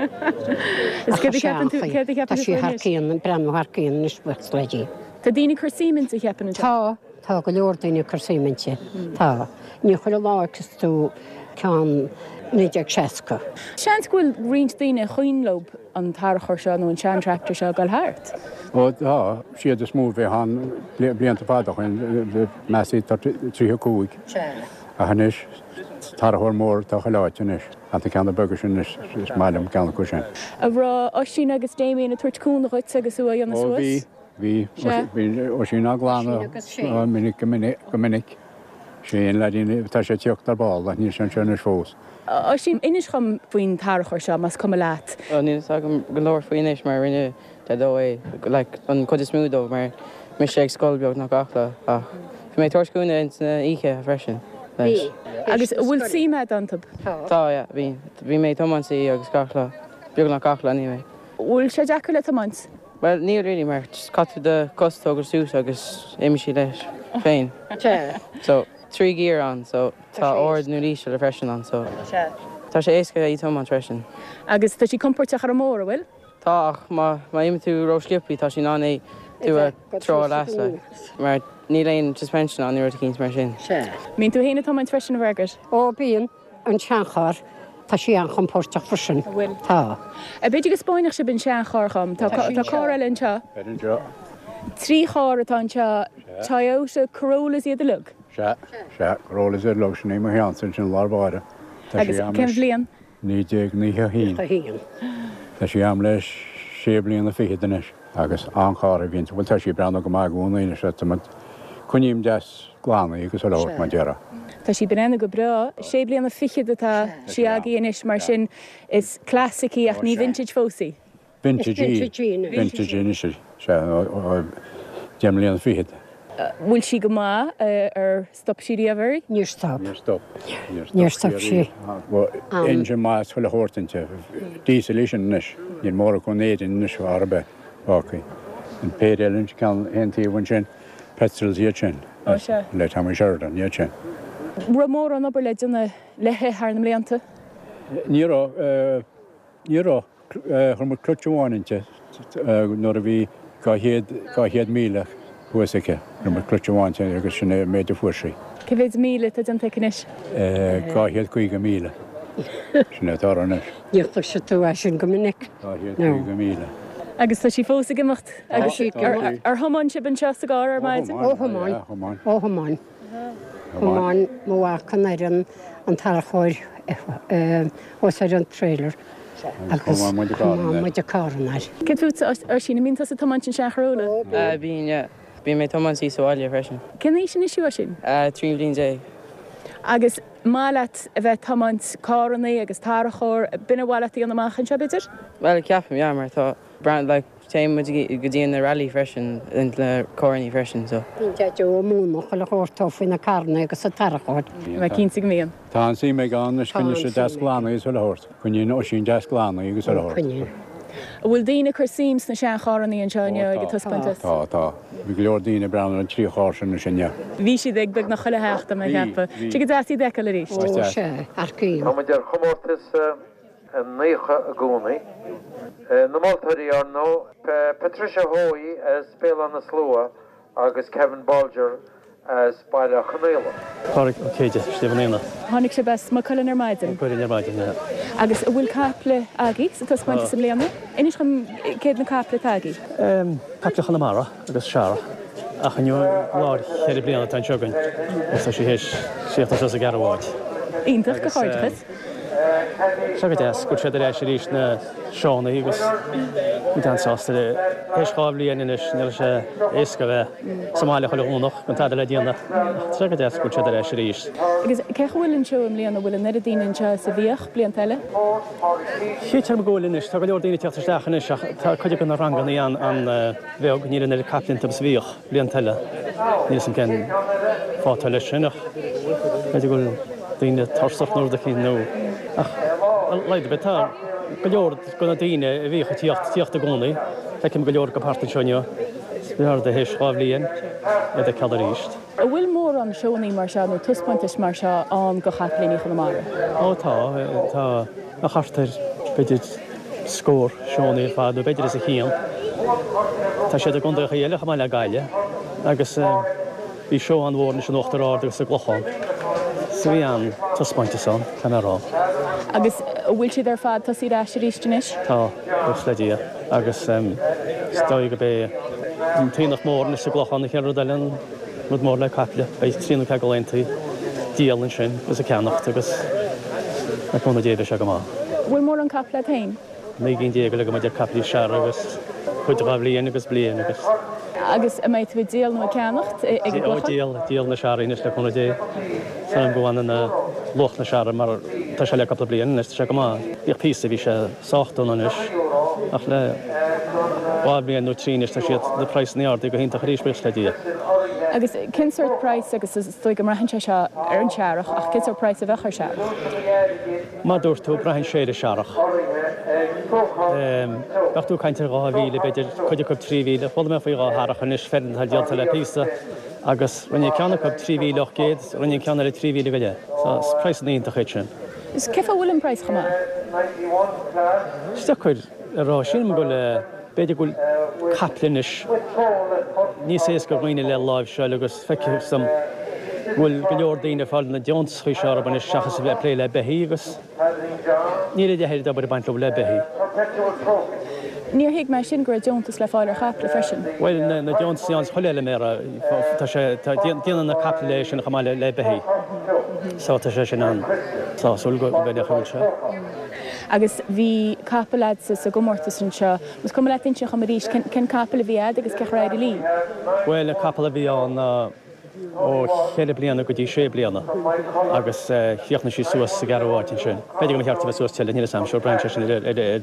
Is céard a cheapann tú, céard a cheapann Tá tú sí faoi thar anois? cionn, ag breathnú thar cionn anois buíochas le Dia. Tá daoine ag cur suim inti, cheapfainn anseo. Tá, tá go leor daoine ag cur suim inti. Tá. Ní chuile lá a fheiceas tú ceann 1960. Seans go bhfuil roinnt daoine ar cuimhin leo an tarracóir seo nó an sean-tractor seo ag dul thart. Ó tá, siad is mó a bhíodh ann blianta fada ó shin, measaim 35. Ach anois, tarracóir mór atá chuile áit anois. Ach na ceanna beaga sin anois, is maith liom ceann acu sin. An raibh Oisín agus Damien ag tabhairt cúnamh dhuit agus thú á dhéanamh Ó suas? bhí. Bhí. Bhí Oisín á glanadh minic go minic, go minic. Sé an leaidín, tá sé ag tíocht ar ball ach níl sé anseo anois fós. Oisín, inis dhom faoin tarrachóir seo, más cuma leat. Bhuel, níl fhios agam go leor faoi anois mar rinne Daideo é, like, an chuid is mó dó mar mise ag scoil beagnach gach lá ach bhí mé ag tabhairt cúnamh ins na oíche freisin leis. Agus an bhfuil suim agat iontu? Tá, yeah, bhí. Bhí mé ag tiomáint í agus gach lá, beagnach gach lá anyway. Bhfuil sé deacair le tiomáint? Bhuel, níl really mar just caithfidh tú do chos a thógáil suas agus imíonn sí leis féin. So, 3 gear ann so tá ard nó íseal freisin ann so tá sé éasca í tiomáint freisin. Agus tá sí compóirteach ar an mbóthar, an bhfuil? Tá ach má má imíonn tú ró-sciobthaí tá sí in ann é tú a treabhadh leat like mar níl aon suspension ann nó rud eicínt mar sin. Mbíonn tú féin ag tiomáint freisin a Mhargaret? Ó bíonn. An seancharr, tá sí an-chompóirteach freisin. An bhfuil? Tá. B'fhéidir go spáinfeadh sibh an seancharr dhom. Tá carr eile anseo. Anseo. 3 charr atá anseo, Toyota Corollas iad uilig? Sea, sea, Corollas iad uilig, sin í mo cheannsa ansin i lár báire. Tá Agus sí a'm cén leis bhliain? 1991. Tá sí a'm le sé bliana fichead anois agus an-charr a bhí inti. Bhuel tá sí ag breathnú go maith i gcónaí anois, tá muid, coinním deas. glan í agus chuile shórt mar déarfá. Tá sí breathnú go breá. Sé bliana fichead atá sí agaibh anois mar sin is classic í ach ní vintage fós í. Vintage í. Vintage í anois í. Sea, 10 mbliana fichead. Bhfuil sí go maith? Ar stop sí riamh oraibh? Níor stop. Níor stop. Níor stop sí. Engine maith is chuile shórt inti. Diesel í sin anois. Níl mórán acu in Éirinn anois ar bith fágtha. An péire eile ceann aon taobh ansin. Petrols iad sin. Ó sea. Le Tommy Sheridan iad sin. Raibh mórán obair le déanamh léi thar na mblianta? Ní raibh. Ní raibh. Chuir muid clutch amháin inti nuair a bhí 200, 200,000 thuas aici. Chuir muid clutch amháin inti agus sin é an méid a fuair sí. Cé mhéid míle atá déanta aici anois? 250,000. Sin é atá uirthi anois. Ní chloisfidh tú é sin go minic. 250,000. Agus tá sí fós ag imeacht? Agus ar thiomáin sibh anseo sa gcarr ar maidin? Ó thiomáin. Ó thiomáin. Thiomáin mo mhac an fhoireann an tarrachóir thuas ar an trailer agus thiomáin muid an carr anoir. Céard fútsa, Oisín, an mbíonn tusa ag tiomáint an sean-Chorolla? Bíonn, yeah. Bíonn mé ag tiomáint í sa bhaile freisin. Cén aois anois thú, Oisín? 13 bliain. Agus maith leat a bheith ag tiomáint carrannaí agus tarrachóir, b'in ar mhaith leat a dhéanamh amach anseo, b'fhéidir? Bhuel, ceapaim, yeah, mar tá brand like téann muid go dtí na rally freisin le carrannaí freisin so. Bíonn Deaideo ag múineadh chuile shórt dó faoi na carrannaí agus an tarrachóir. Tá mé cinnte go mbíonn. Tá an-suim aige ann anois, coinníonn sé deas glan í is chuile shórt. Coinníonn Oisín deas glan í agus chuile shórt. Coinníonn. An bhfuil daoine ag cur suim sna seancharrannaí anseo inniu ag an taispeántas? Tá, tá. Bhí go leor daoine ag breathnú ar an trí charr sin anois inniu. Bhí siad ag beagnach chuile theach, tá mé ag ceapadh. Tá sé go deas iad a fheiceáil arís. Ó, sea, earcaím. Tá muid ar chomórtas 90 i gcónaí. Na moltóirí, ar ndóigh, Patricia Hoey as Béal Átha na Slua agus Kevin Bolger as Baile Chonaola. Pádraig Ó Céide, Sliabh an Aonaigh. Tháinig sibh as Maigh Cuilinn ar maidin? Maigh Cuilinn ar maidin, yeah. Agus an bhfuil caiple agaibh sa taispeántas i mbliana? Inis dhom céard na caiple atá agaibh. Caiple Chonamara agus searrach. Ach inniu lá cheithre bliana atá anseo againn agus tá sí théis tíocht anseo sa gceathrú háit. Iontach, comhghairdeachas. Tá sé go deas go bhfuil siad ar ais arís na seónna agus muid an-sásta le. Théis 2 bhliain anois ní raibh sé éasca a bheith sa mbaile chuile Dhomhnach gan tada le déanamh ach tá sé go deas go bhfuil siad ar ais arís. Agus cén chaoi a bhfuil an seó i mbliana, an bhfuil an oiread daoine anseo is a bhíodh blianta eile? Chítear dom go bhfuil anois, tá go leor daoine ag teacht isteach anois ach tá cuid de na ranganna an-bheag, níl an oiread caiple iontu is a bhíodh blianta eile. Níl 'fhios a'm cén fáth atá leis sin ach b'fhéidir go bhfuil daoine tuirseach nó rud eicínt nó ach ar a laghad ar bith tá go leor de na daoine a bhíodh ag tíocht, tíocht i gcónaí. Feicim go leor acu thart anseo inniu. Is b'fhearr théis 2 bhliain iad a fheiceáil arís. An bhfuil mórán seónnaí mar seo nó taispeántais mar seo ann do chapaillíní Chonamara? Ó tá, tá. Ach thart ar, b'fhéidir, scór seónnaí ar fad, nó b'fhéidir os a chionn. Tá siad i gcontaethacha eile chomh maith le Gaillimh agus bhí seó an-mhór anois in Uachtar Ard agus sa gClochán. So bhí an-taispeántas ann, caithfidh mé a rá. Agus an bhfuil siad ar fad tosaithe ar ais arís anois? Tá, buíochas le Dia. Agus is dóigh go b'é an t-aonach mór anois sa gClochán an chéad rud eile, an rud mór le caiple. Beidh trí nó ceathair de laethanta ag díol ansin agus ag ceannacht agus le cúnamh Dé beidh sé go maith. Bhfuil mórán caiple agat féin? 19 gcinn uilig agam idir caiplí searraigh agus. Cuid dhá bhliain agus bliain agus. Agus an mbeidh tú ag díol nó ag ceannacht ag an gclochán? Ó, díol, díol na searraigh anois le cúnamh Dé. Súil agam go bhfanann luach na searraigh mar tá sé le cúpla bliain anois, tá sé go maith. Bhíodh píosa, bhí sé sách dona anois ach le dhá bhliain nó trí anois tá siad, na praghsanna ardaithe go hiontach arís, buíochas le Dia. Agus cén sórt praghas, agus is dóigh go mbraitheann sé seo ar an searrach, ach cén sórt praghas a bheadh ar searrach? Mar a dúirt tú, braitheann sé ar an searrach. Bheadh tú ag caint ar 2,000, b'fhéidir, cuid acu 3,000. Chuala mé faoi dhá shearrach anois, feirm atá díolta le píosa, agus rinne ceann acu 3,800, rinne an ceann eile 3,000 go leith. So, is praghsanna iontacha iad sin. Is cén fáth a bhfuil an praghas chomh maith? Is deacair a rá. Sílim go bhfuil, b'fhéidir go bhfuil caiple anois níos éasca do dhaoine le láimhseáil agus feictear dom go bhfuil go leor daoine ag fáil na deontasachaí seo orthu anois seachas a bheith ag plé le beithígh agus níl a leithéid d'obair ag baint leo le beithígh. Níor thuig mé sin, go raibh deontas le fáil ar chaiple freisin. Bhuel, na deontasaí ann chuile fheilméara, tá sé, tá, déanann na caiple é sin chomh maith le beithígh. So tá sé sin an-sásúil go mbeidh a bhfuil sé. Agus bhí capall a'dsa sa gcomórtas anseo. Más cuma leat inse dhom arís cén capall a bhí a'd agus cén chaoi ar éirigh leí? Bhuel, an capall a bhí ann ná ó cheithre bliana go dtí sé bliana agus chríochnaigh sí suas sa gceathrú háit ansin. B'fhéidir go mba cheart a bheith suas tuilleadh, níl 'fhios a'm, sure braitheann sé sin ar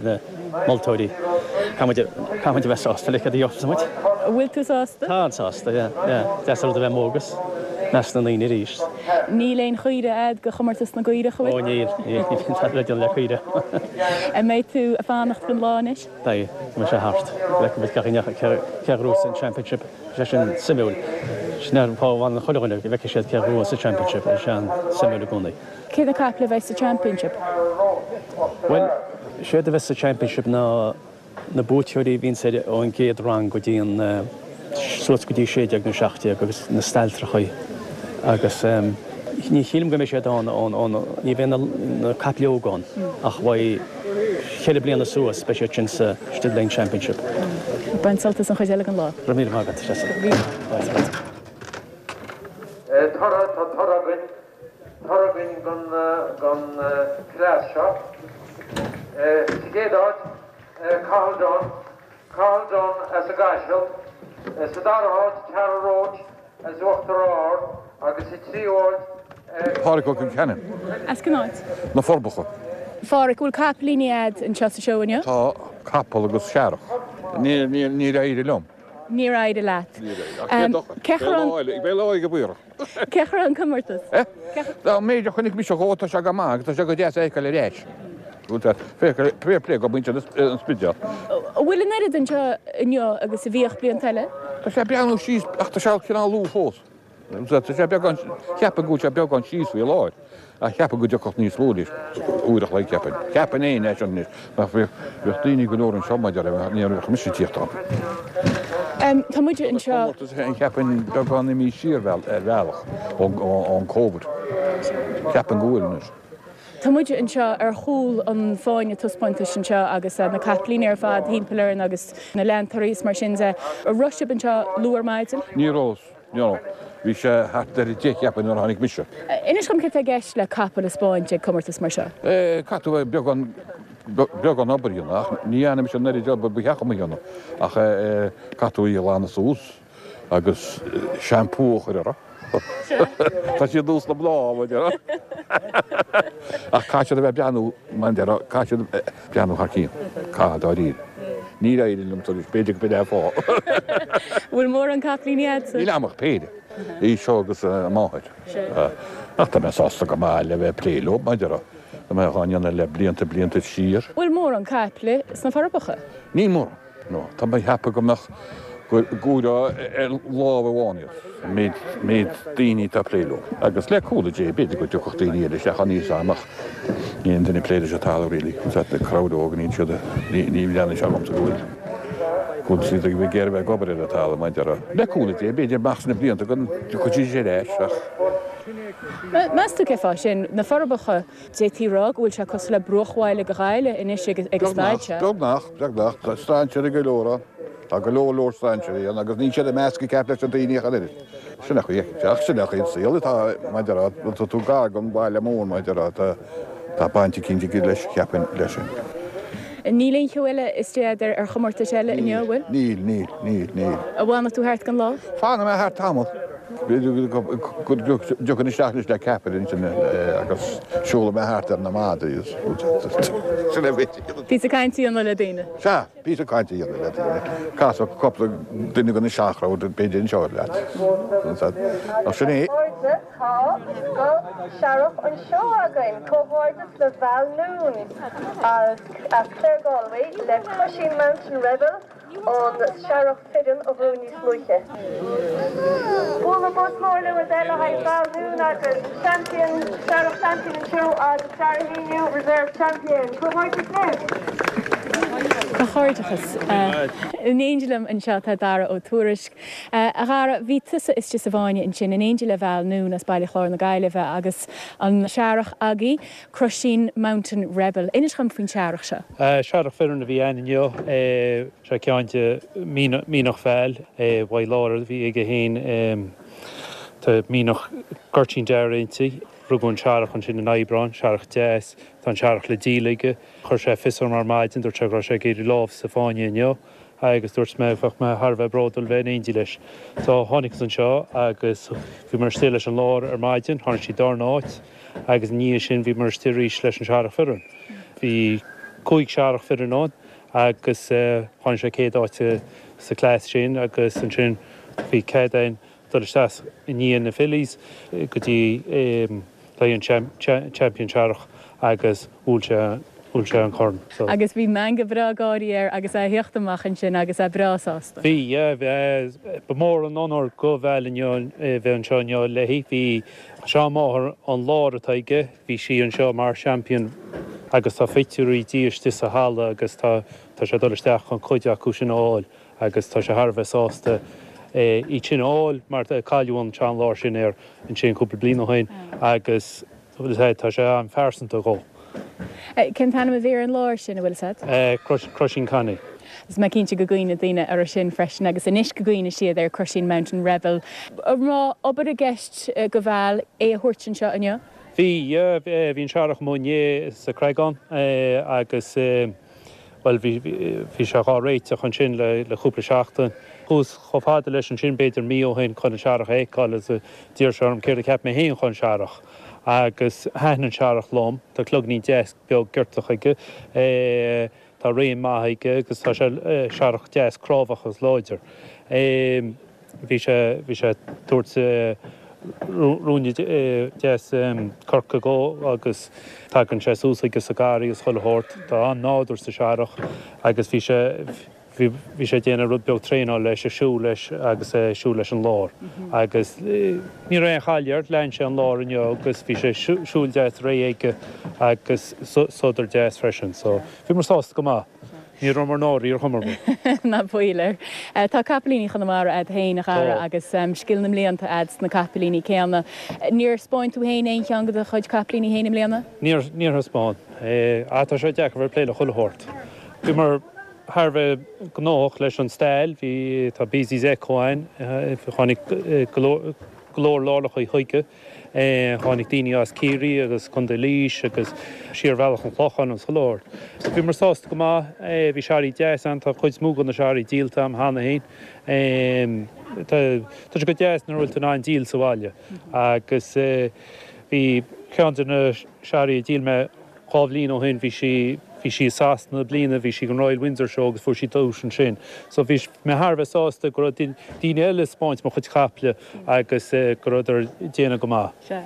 na moltóirí. Caithfidh muid a bheith sásta le céard a gheobhas muid. An bhfuil tú sásta? Tá an-sásta, yeah, yeah. Deas an rud a bheith amuigh agus i measc na ndaoine arís. Níl aon chaoire a'd do chomórtas na gcaorach, an bhfuil? Ó níl, níl, níl tada le déanamh le caoire. An mbeidh tú ag fanacht don lá anois? Beidh, go mbeidh sé thart. Go bhfeicfidh muid gach éinne cé a ghnóthós an Championship. Tá sé sin suimiúil. Sin an fáth a bhfanann chuile dhuine, go bhfeicfidh siad cé a ghnóthós an Championship. Tá sé an-suimiúil i gcónaí. Cé na caiple a bheidh sa Championship? Bhuel, séard a bheas sa Championship ná na buaiteoirí a bhíonns ar ón gcéad rang go dtí an suas go dtí 16 nó 17 agus na stailtreachaí agus ní shílim go mbeidh siad ann ón ón ní bheidh na na caiple óga ann ach beidh cheithre bliana suas beidh siad sin sa Stud Lane Championship. Bain sult as an chuid eile den lá. Go raibh míle maith agat, Treasa. Toradh, tá toradh againn, toradh againn don chleas seo. Sa gcéad áit, Cathal Dunne, Cathal Dunne as an gCaiseal. Sa dara háit, Tara Roche as Uachtar Ard agus sa tríú háit, Páraic Ó Concheanainn. As cén áit? Na Forbacha. Pháraic, bhfuil capaillíní a'd anseo sa seó inniu? Tá, capall agus searrach. Níor éirigh liom. Níor éirigh leat. Níor éirigh. Ach cé dochar. Cén chaoi a raibh an. Beidh lá eile amárach. Cén chaoi a raibh an comórtas? Dá méid a chonaic mise dhó, tá sé go maith agus tá sé go deas a fheiceáil ar ais. Fair play go muintir an Spidéal. An bhfuil an oiread anseo inniu agus a bhíodh blianta eile? Tá sé ag breathnú síos ach tá sé cineál luath fós. Tá sé beagán, cheapfainn go bhfuil sé beagán síos faoi láthair, ach cheapfainn go dtiocfadh níos lú anois, uair a chloig, cheapfainn. Cheapfainn fhéin é sin anois, nach bheadh, bheadh daoine go leor anseo maidir le, ní bheadh mise ag tíocht ann. Tá muid anseo. Tá comórtas féin, cheapfainn, beagán imithe siar ar bhealach ón Covid. Cheapfainn go bhfuil anois. Tá muid anseo ar chúl an fáinne taispeántais anseo agus na capaillíní ar fad thimpeall orainn agus na leantóirí is mar sin de. An raibh sibh anseo luath ar maidin? Ní raibh. No. Bhí sé thart ar a deich cheapfainn nuair a tháinig mise. Inis dhom céard tá i gceist le capall a 'spáint ag comórtas mar seo. Eh, caithfidh tú beagán, beagán obair a dhéanamh ach ní dhearna mise an oiread obair ba cheart dom a dhéanamh ach eh, caithfidh tú í a ghlanadh suas agus shampoo a chur orthu. Tá siad nós na mná, mar a déarfá. Ach caithfidh siad a bheith ag breathnú, mar a déarfá, caithfidh siad breathnú thar cionn, caithfidh dáiríre. Níor éirigh liom tar éis, b'fhéidir go b'in é an fáth. Bhfuil mórán capaillíní a'dsa? Níl a'm ach péire, í seo agus a máthair. Ach tá mé sásta go maith le bheith ag plé leo, mar a déarfá. Tá mé dhá ndéanamh le blianta, blianta siar. Bhfuil mórán caiple sna Forbacha? Níl mórán. No, tá mé ag ceapadh go mbeadh, go gcomhaireofá ar lámh amháin iad, an méid, méid daoine atá ag plé leo. Agus le cúnamh Dé, b'fhéidir go dtiocfadh daoine eile isteach ann níos am ach níl aon duine ag plé leis an talamh really. Is that the crowd óg, níl siad, ní, ní bhreathnaíonn sé dhomsa go bhfuil, go bhfuil siad ag iarraidh bheith ag obair ar an talamh, mar a déarfá. Le cúnamh Dé, b'fhéidir amach sna blianta go dtiocfaidh siad ar ais ach. Meas tú cén fáth sin? Na Forbacha, D'fhéadfaí a rá go bhfuil sé cosúil le bruachbhaile go Ghaillimh anois ag an staid seo. Beagnach, beagnach. Tá strainséirí go leor ann. Tá go leor leor strainséirí ann agus níl siad ag meascadh ceart leis na daoine ach an oiread. Sin é chaoi, ach sin é chaoi an saol atá, mar a déarfá, tá tú gar don bhaile mór, mar a déarfá, tá, tá baint eicínt aige leis, cheapfainn, leis sin. Níl aon cheo eile istigh agat ar chomórtais eile inniu, an bhfuil? Níl, níl, níl, níl. An bhfanfaidh tú thart don lá? Fanfaidh mé thart tamall. B'fhéidir go dtiocfainn isteach anois le ceapaire ansin agus siúlfaidh mé thart ar na madraí is sin é b'fhéidir. Píosa cainte a dhéanamh le daoine. Sea, píosa cainte a dhéanamh le daoine. Casfaidh cúpla duine den seanchrowd b'fhéidir anseo leat. Ach sin é. Tá scoth searrach anseo againn! Comhghairdeas le Val Noone as Claregalway le Crusheen Mountain Rebel, an searrach fireann a bhuaigh níos luaithe. Bualadh bos mór le bhur dtoil le haghaidh Val Noone agus Champion, Searrach Champion an Seó agus Dara Heanue, Reserve Champion. Comhghairdeas libh! Comhghairdeachas. In éindí liom anseo tá Dara Ó Tuairisg. A Dhara, bhí tusa istigh sa bhfáinne ansin in éindí le Val Noone as Baile Chláir na Gaillimhe agus an searrach agaibh, Crusheen Mountain Rebel. Inis dhom faoin searrach seo. Searrach fireann a bhí ann inniu. Seo ceann de mhianach Val. Mhaigh Lára a bhí aige féin. Tá mianach Goirtín Dearg inti. Rugadh an searrach ansin in Aibreán, searrach deas. Tá an searrach le díol aige. Chuir sé fios orm ar maidin, dúirt sé go raibh sé ag iarraidh lámh sa fáinne inniu. agus dúirt mé bheadh mé thar a bheith bródúil bheith in éindí leis. So tháinig anseo agus bhíomar istigh leis an láir ar maidin, tháinig sí darna áit agus i ndiaidh sin bhíomar istigh arís leis an searrach fireann. Bhí cúig searrach fireann ann agus tháinig sé céad áit sa class sin agus ansin bhí cead againn dul isteach i ndiaidh na fillies go dtí le an champion searrach agus bhuail sé bhuail sé an corn so. Agus bhí meangadh breá gáirí air agus é a theacht amach ansin agus é breá sásta. Bhí, yeah, ba mhór an onóir do Val inniu bheith anseo inniu léi. Bhí seanmháthair an láir atá aige, bhí sí anseo mar champion agus tá pictiúirí di istigh sa halla agus tá tá sé ag dul isteach chun cuid acu sin a fháil. agus tá sé thar a bheith sásta iad sin a fháil mar cailleadh an tseanláir sin air ansin cúpla bliain ó shin agus tá sé an-phearsanta dhó. Cén t-ainm a bhí ar an láir sin, a bhfuil fhios agat? Crusheen Connie. Is mé cinnte go gcuimhneoidh daoine orthu sin freisin agus anois go gcuimhneoidh siad ar Crusheen Mountain Rebel. An raibh obair i gceist do Val é a thabhairt anseo inniu? Bhí, yeah, bhí an searrach amuigh inné sa Chreagán agus. Bhuel, bhí, bhí sé dhá réiteach ansin le, le cúpla seachtain. Chuas chomh fada leis ansin b'fhéidir mí ó shin chun an searrach a fheiceáil agus d'iarr sé orm céard a cheap mé féin chun searrach. Agus thaitin an searrach liom. Tá cloignín deas beag giortach aige. Tá réim maith aige agus tá sé searrach deas crábhach agus láidir. Bhí sé, bhí sé ag tabhairt ruainne deas coirce dhó agus tagann sé suas chuige sa gharraí agus chuile shórt. Tá an-nádúr sa searrach agus bhí sé, bhí, bhí sé ag déanamh rud beag traenáil leis, ag siúl leis agus ag siúl leis an láir. Agus ní raibh aon chailleadh air, lean sé an láir inniu agus bhí sé siúl deas réidh aige agus sodar deas freisin. So bhíomar sásta go maith. Ní rabhamar náirithe ar chuma ar bith. Ná baol air. Tá capaillíní Chonamara a'd féin, a Dhara, agus scil na mblianta a'd sna capaillíní céanna. Níor 'spáin tú féin aon cheann de do chuid capaillíní féin i mbliana? Níor, níor thaispeáin. Ah, tá sé deacair bheith ag plé le chuile shórt. Bhíomar thar a bheith gnóthach leis an stail, bhí, tá Beasley's Echo ann, tháinig go leor, go leor láithreacha chuige. Tháinig daoine as Ciarraí agus Contae Laois agus siar Bhealach an Chlocháin agus chuile shórt. So bhíomar sásta go maith. Bhí searraigh deas ann. Tá cuid mhór de na searraigh díolta a'm cheana féin. Tá sé go deas nuair a bhfuil tú in ann díol sa bhaile. Agus bhí ceann de na searraigh a dhíol mé 2 bhliain ó shin bhí sí, bhí sí i Sasana bliana, bhí sí ag an Royal Windsor Show agus fuair sí duais ansin. So bhí mé thar a bheith sásta go raibh daoine eile ag 'spáint mo chuid caiple agus go rabhadar ag déanamh go maith. Sea.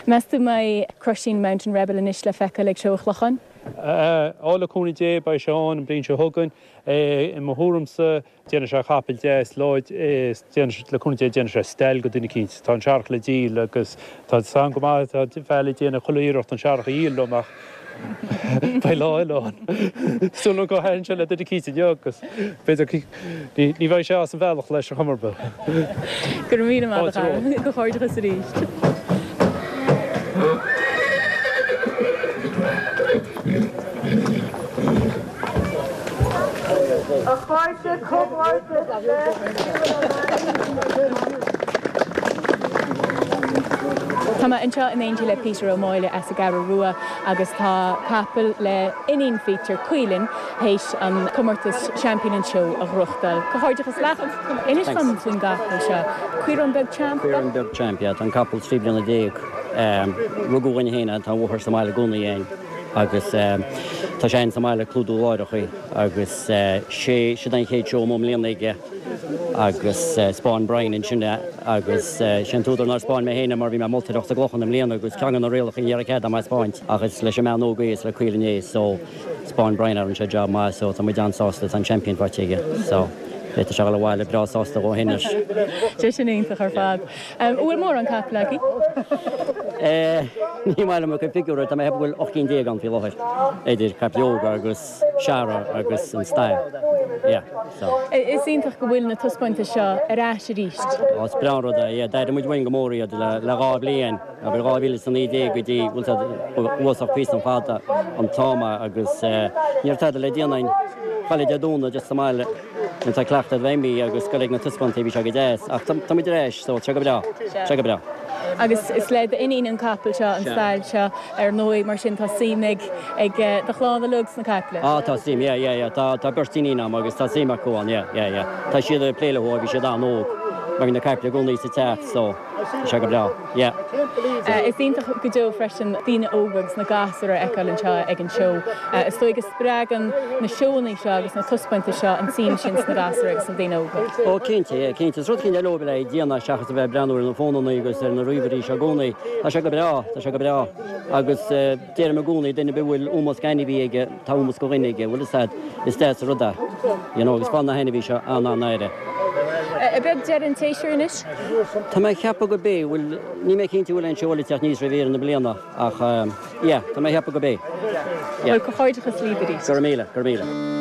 Meas tú an mbeidh Crusheen Mountain Rebel anois le feiceáil ag Seó an Chlocháin? Á, le cúnamh Dé beidh sé ann an bhliain seo chugainn. I mo thuairimse Déanfaidh sé capall deas láidir, déanfaidh, le cúnamh Dé, déanfaidh sé stail go duine eicínt. Tá an searrach le díol agus tá 's a'm go maith, tá Val ag déanamh chuile iarracht an searrach a dhíol liom ach beidh lá eile ann. Súil agam go thaitin sé le duine eicínt inniu agus b'fhéidir, ní bheidh sé as an bhealach leis ar chuma ar bith. Go raibh míle maith agat, a Dhara. Comhghairdeachas arís. A chairde, comhghairdeas le Stephen O'Mahony. Tá mé anseo in éindí le Peter Ó Máille as an gCeathrú Rua agus tá capall le iníon Pheter, Caoilinn, théis an comórtas Seaimpín an tSeó a ghnóthachtáil. Comhghairdeachas leat! Inis dom faoin gcapall seo. Caorán Beag Champ? Caorán Beag Champ, yeah. Tá an capall 13 bliana. Rugadh againn féin é, tá a mháthair sa mbaile i gcónaí againn agus tá sé againn sa mbaile ag clúdú láithreachaí agus sé, siod an chéad seó amuigh i mbliana aige agus 'spáin Brian ansin é agus sé an t-údar nár 'spáin mé féin é mar bhí mé ag moltóireacht sa gClochán i mbliana agus ceann de na rialacha ní raibh cead agam é 'spáint ach is leis an mbean óg é is le Caoilinn é so 'spáin Brian é rinne sé job maith so tá muid an-sásta tá an champion faighte aige so beidh sé ag dul abhaile breá sásta dhó féin anois. Sé sin iontach ar fad. An bhfuil mórán capall agaibh? Ní maith liom a chuid figiúirí, tá mé ag ceapadh go bhfuil 18 cinn ann faoi láthair, idir caiple óga agus searra agus an stail. Yeah, so. Is iontach go bhfuil na taispeántais seo ar ais arís. Ó, is breá an rud é, yeah. D'airigh muid uainn go mór iad le dhá bhliain, abair 2019 go dtí, bhfuil siad uafásach píosa fada an t-am agus ní raibh tada le déanamh againn. Chuile Dé Domhnaigh just sa mbaile. Nuair atá cleachtadh bheith imithe agus goil ag na taispeántaí bhí sé go deas ach tá muid ar ais so tá sé go breá, tá sé go breá. Agus is le d'iníon an capall seo, an stail seo ar ndóigh, mar sin tá suim ag ag do chlann uilig sna caiple. Ah tá suim, yeah yeah yeah, tá tá beirt iníon agam agus tá suim acu ann, yeah yeah yeah. Tá siad ag plé leo ó bhí siad an-óg mar bhí na caiple i gcónaí sa teach so tá sé go breá. Yeah. Is iontach go deo freisin daoine óga agus na gasúir a fheiceáil anseo ag an seó. Is dóigh go spreagann na seóanna seo agus na taispeántais seo an tsuim sin sna gasúir agus sna daoine óga. Ó cinnte, yeah, cinnte. Is rud éicint eile leo le déanamh seachas a bheith ag breathnú ar na fónanna agus ar na ríomhairí seo i gcónaí. Tá sé go breá, tá sé go breá. Agus deirim i gcónaí, duine ar bith a bhfuil ómós d'ainmhí aige, Tá ómós do dhuine aige, bhfuil fhios a'd, is deas an rud é, you know, agus faigheann na hainmhí seo an-an-aire. Ab é deireadh an tséasúir anois? Tá mé ag ceapadh gurb é, bhuel, níl mé cinnte bhfuil aon seó eile ag teacht aníos roimh dheireadh na bliana ach yeah, tá mé ag ceapadh gurb é. Yeah. Bhuel, comhghairdeachas libh arís. Go raibh míle, go raibh míle.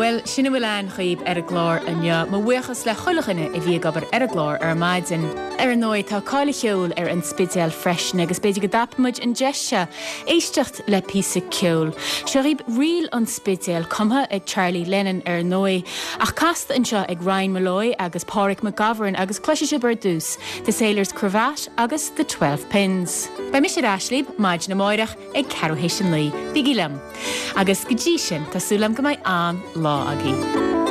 Bhuel, sin a bhfuil a'inn dhaoib ar an gclár inniu. Mo bhuíochas le chuile dhuine a bhí ag obair ar an gclár ar maidin. Ar ndóigh, tá cáil an cheoil ar an Spidéal freisin agus b'fhéidir go dtapaíonn muid an deis seo éisteacht le píosa ceoil. Seo dhaoib Ríl an Spidéil, cumtha ag Charlie Lennon ar ndóigh, ach casta anseo ag Ryan Molloy agus Pádraig McGovern agus cloisfidh sibh ar dtús The Sailor's Cravat agus The 12 Pins. Beidh mise ar ais libh maidin amáireach ag ceathrú théis a 9. Bígí liom! Agus go dtí sin, tá súil agam go mbeidh an-lá agaibh.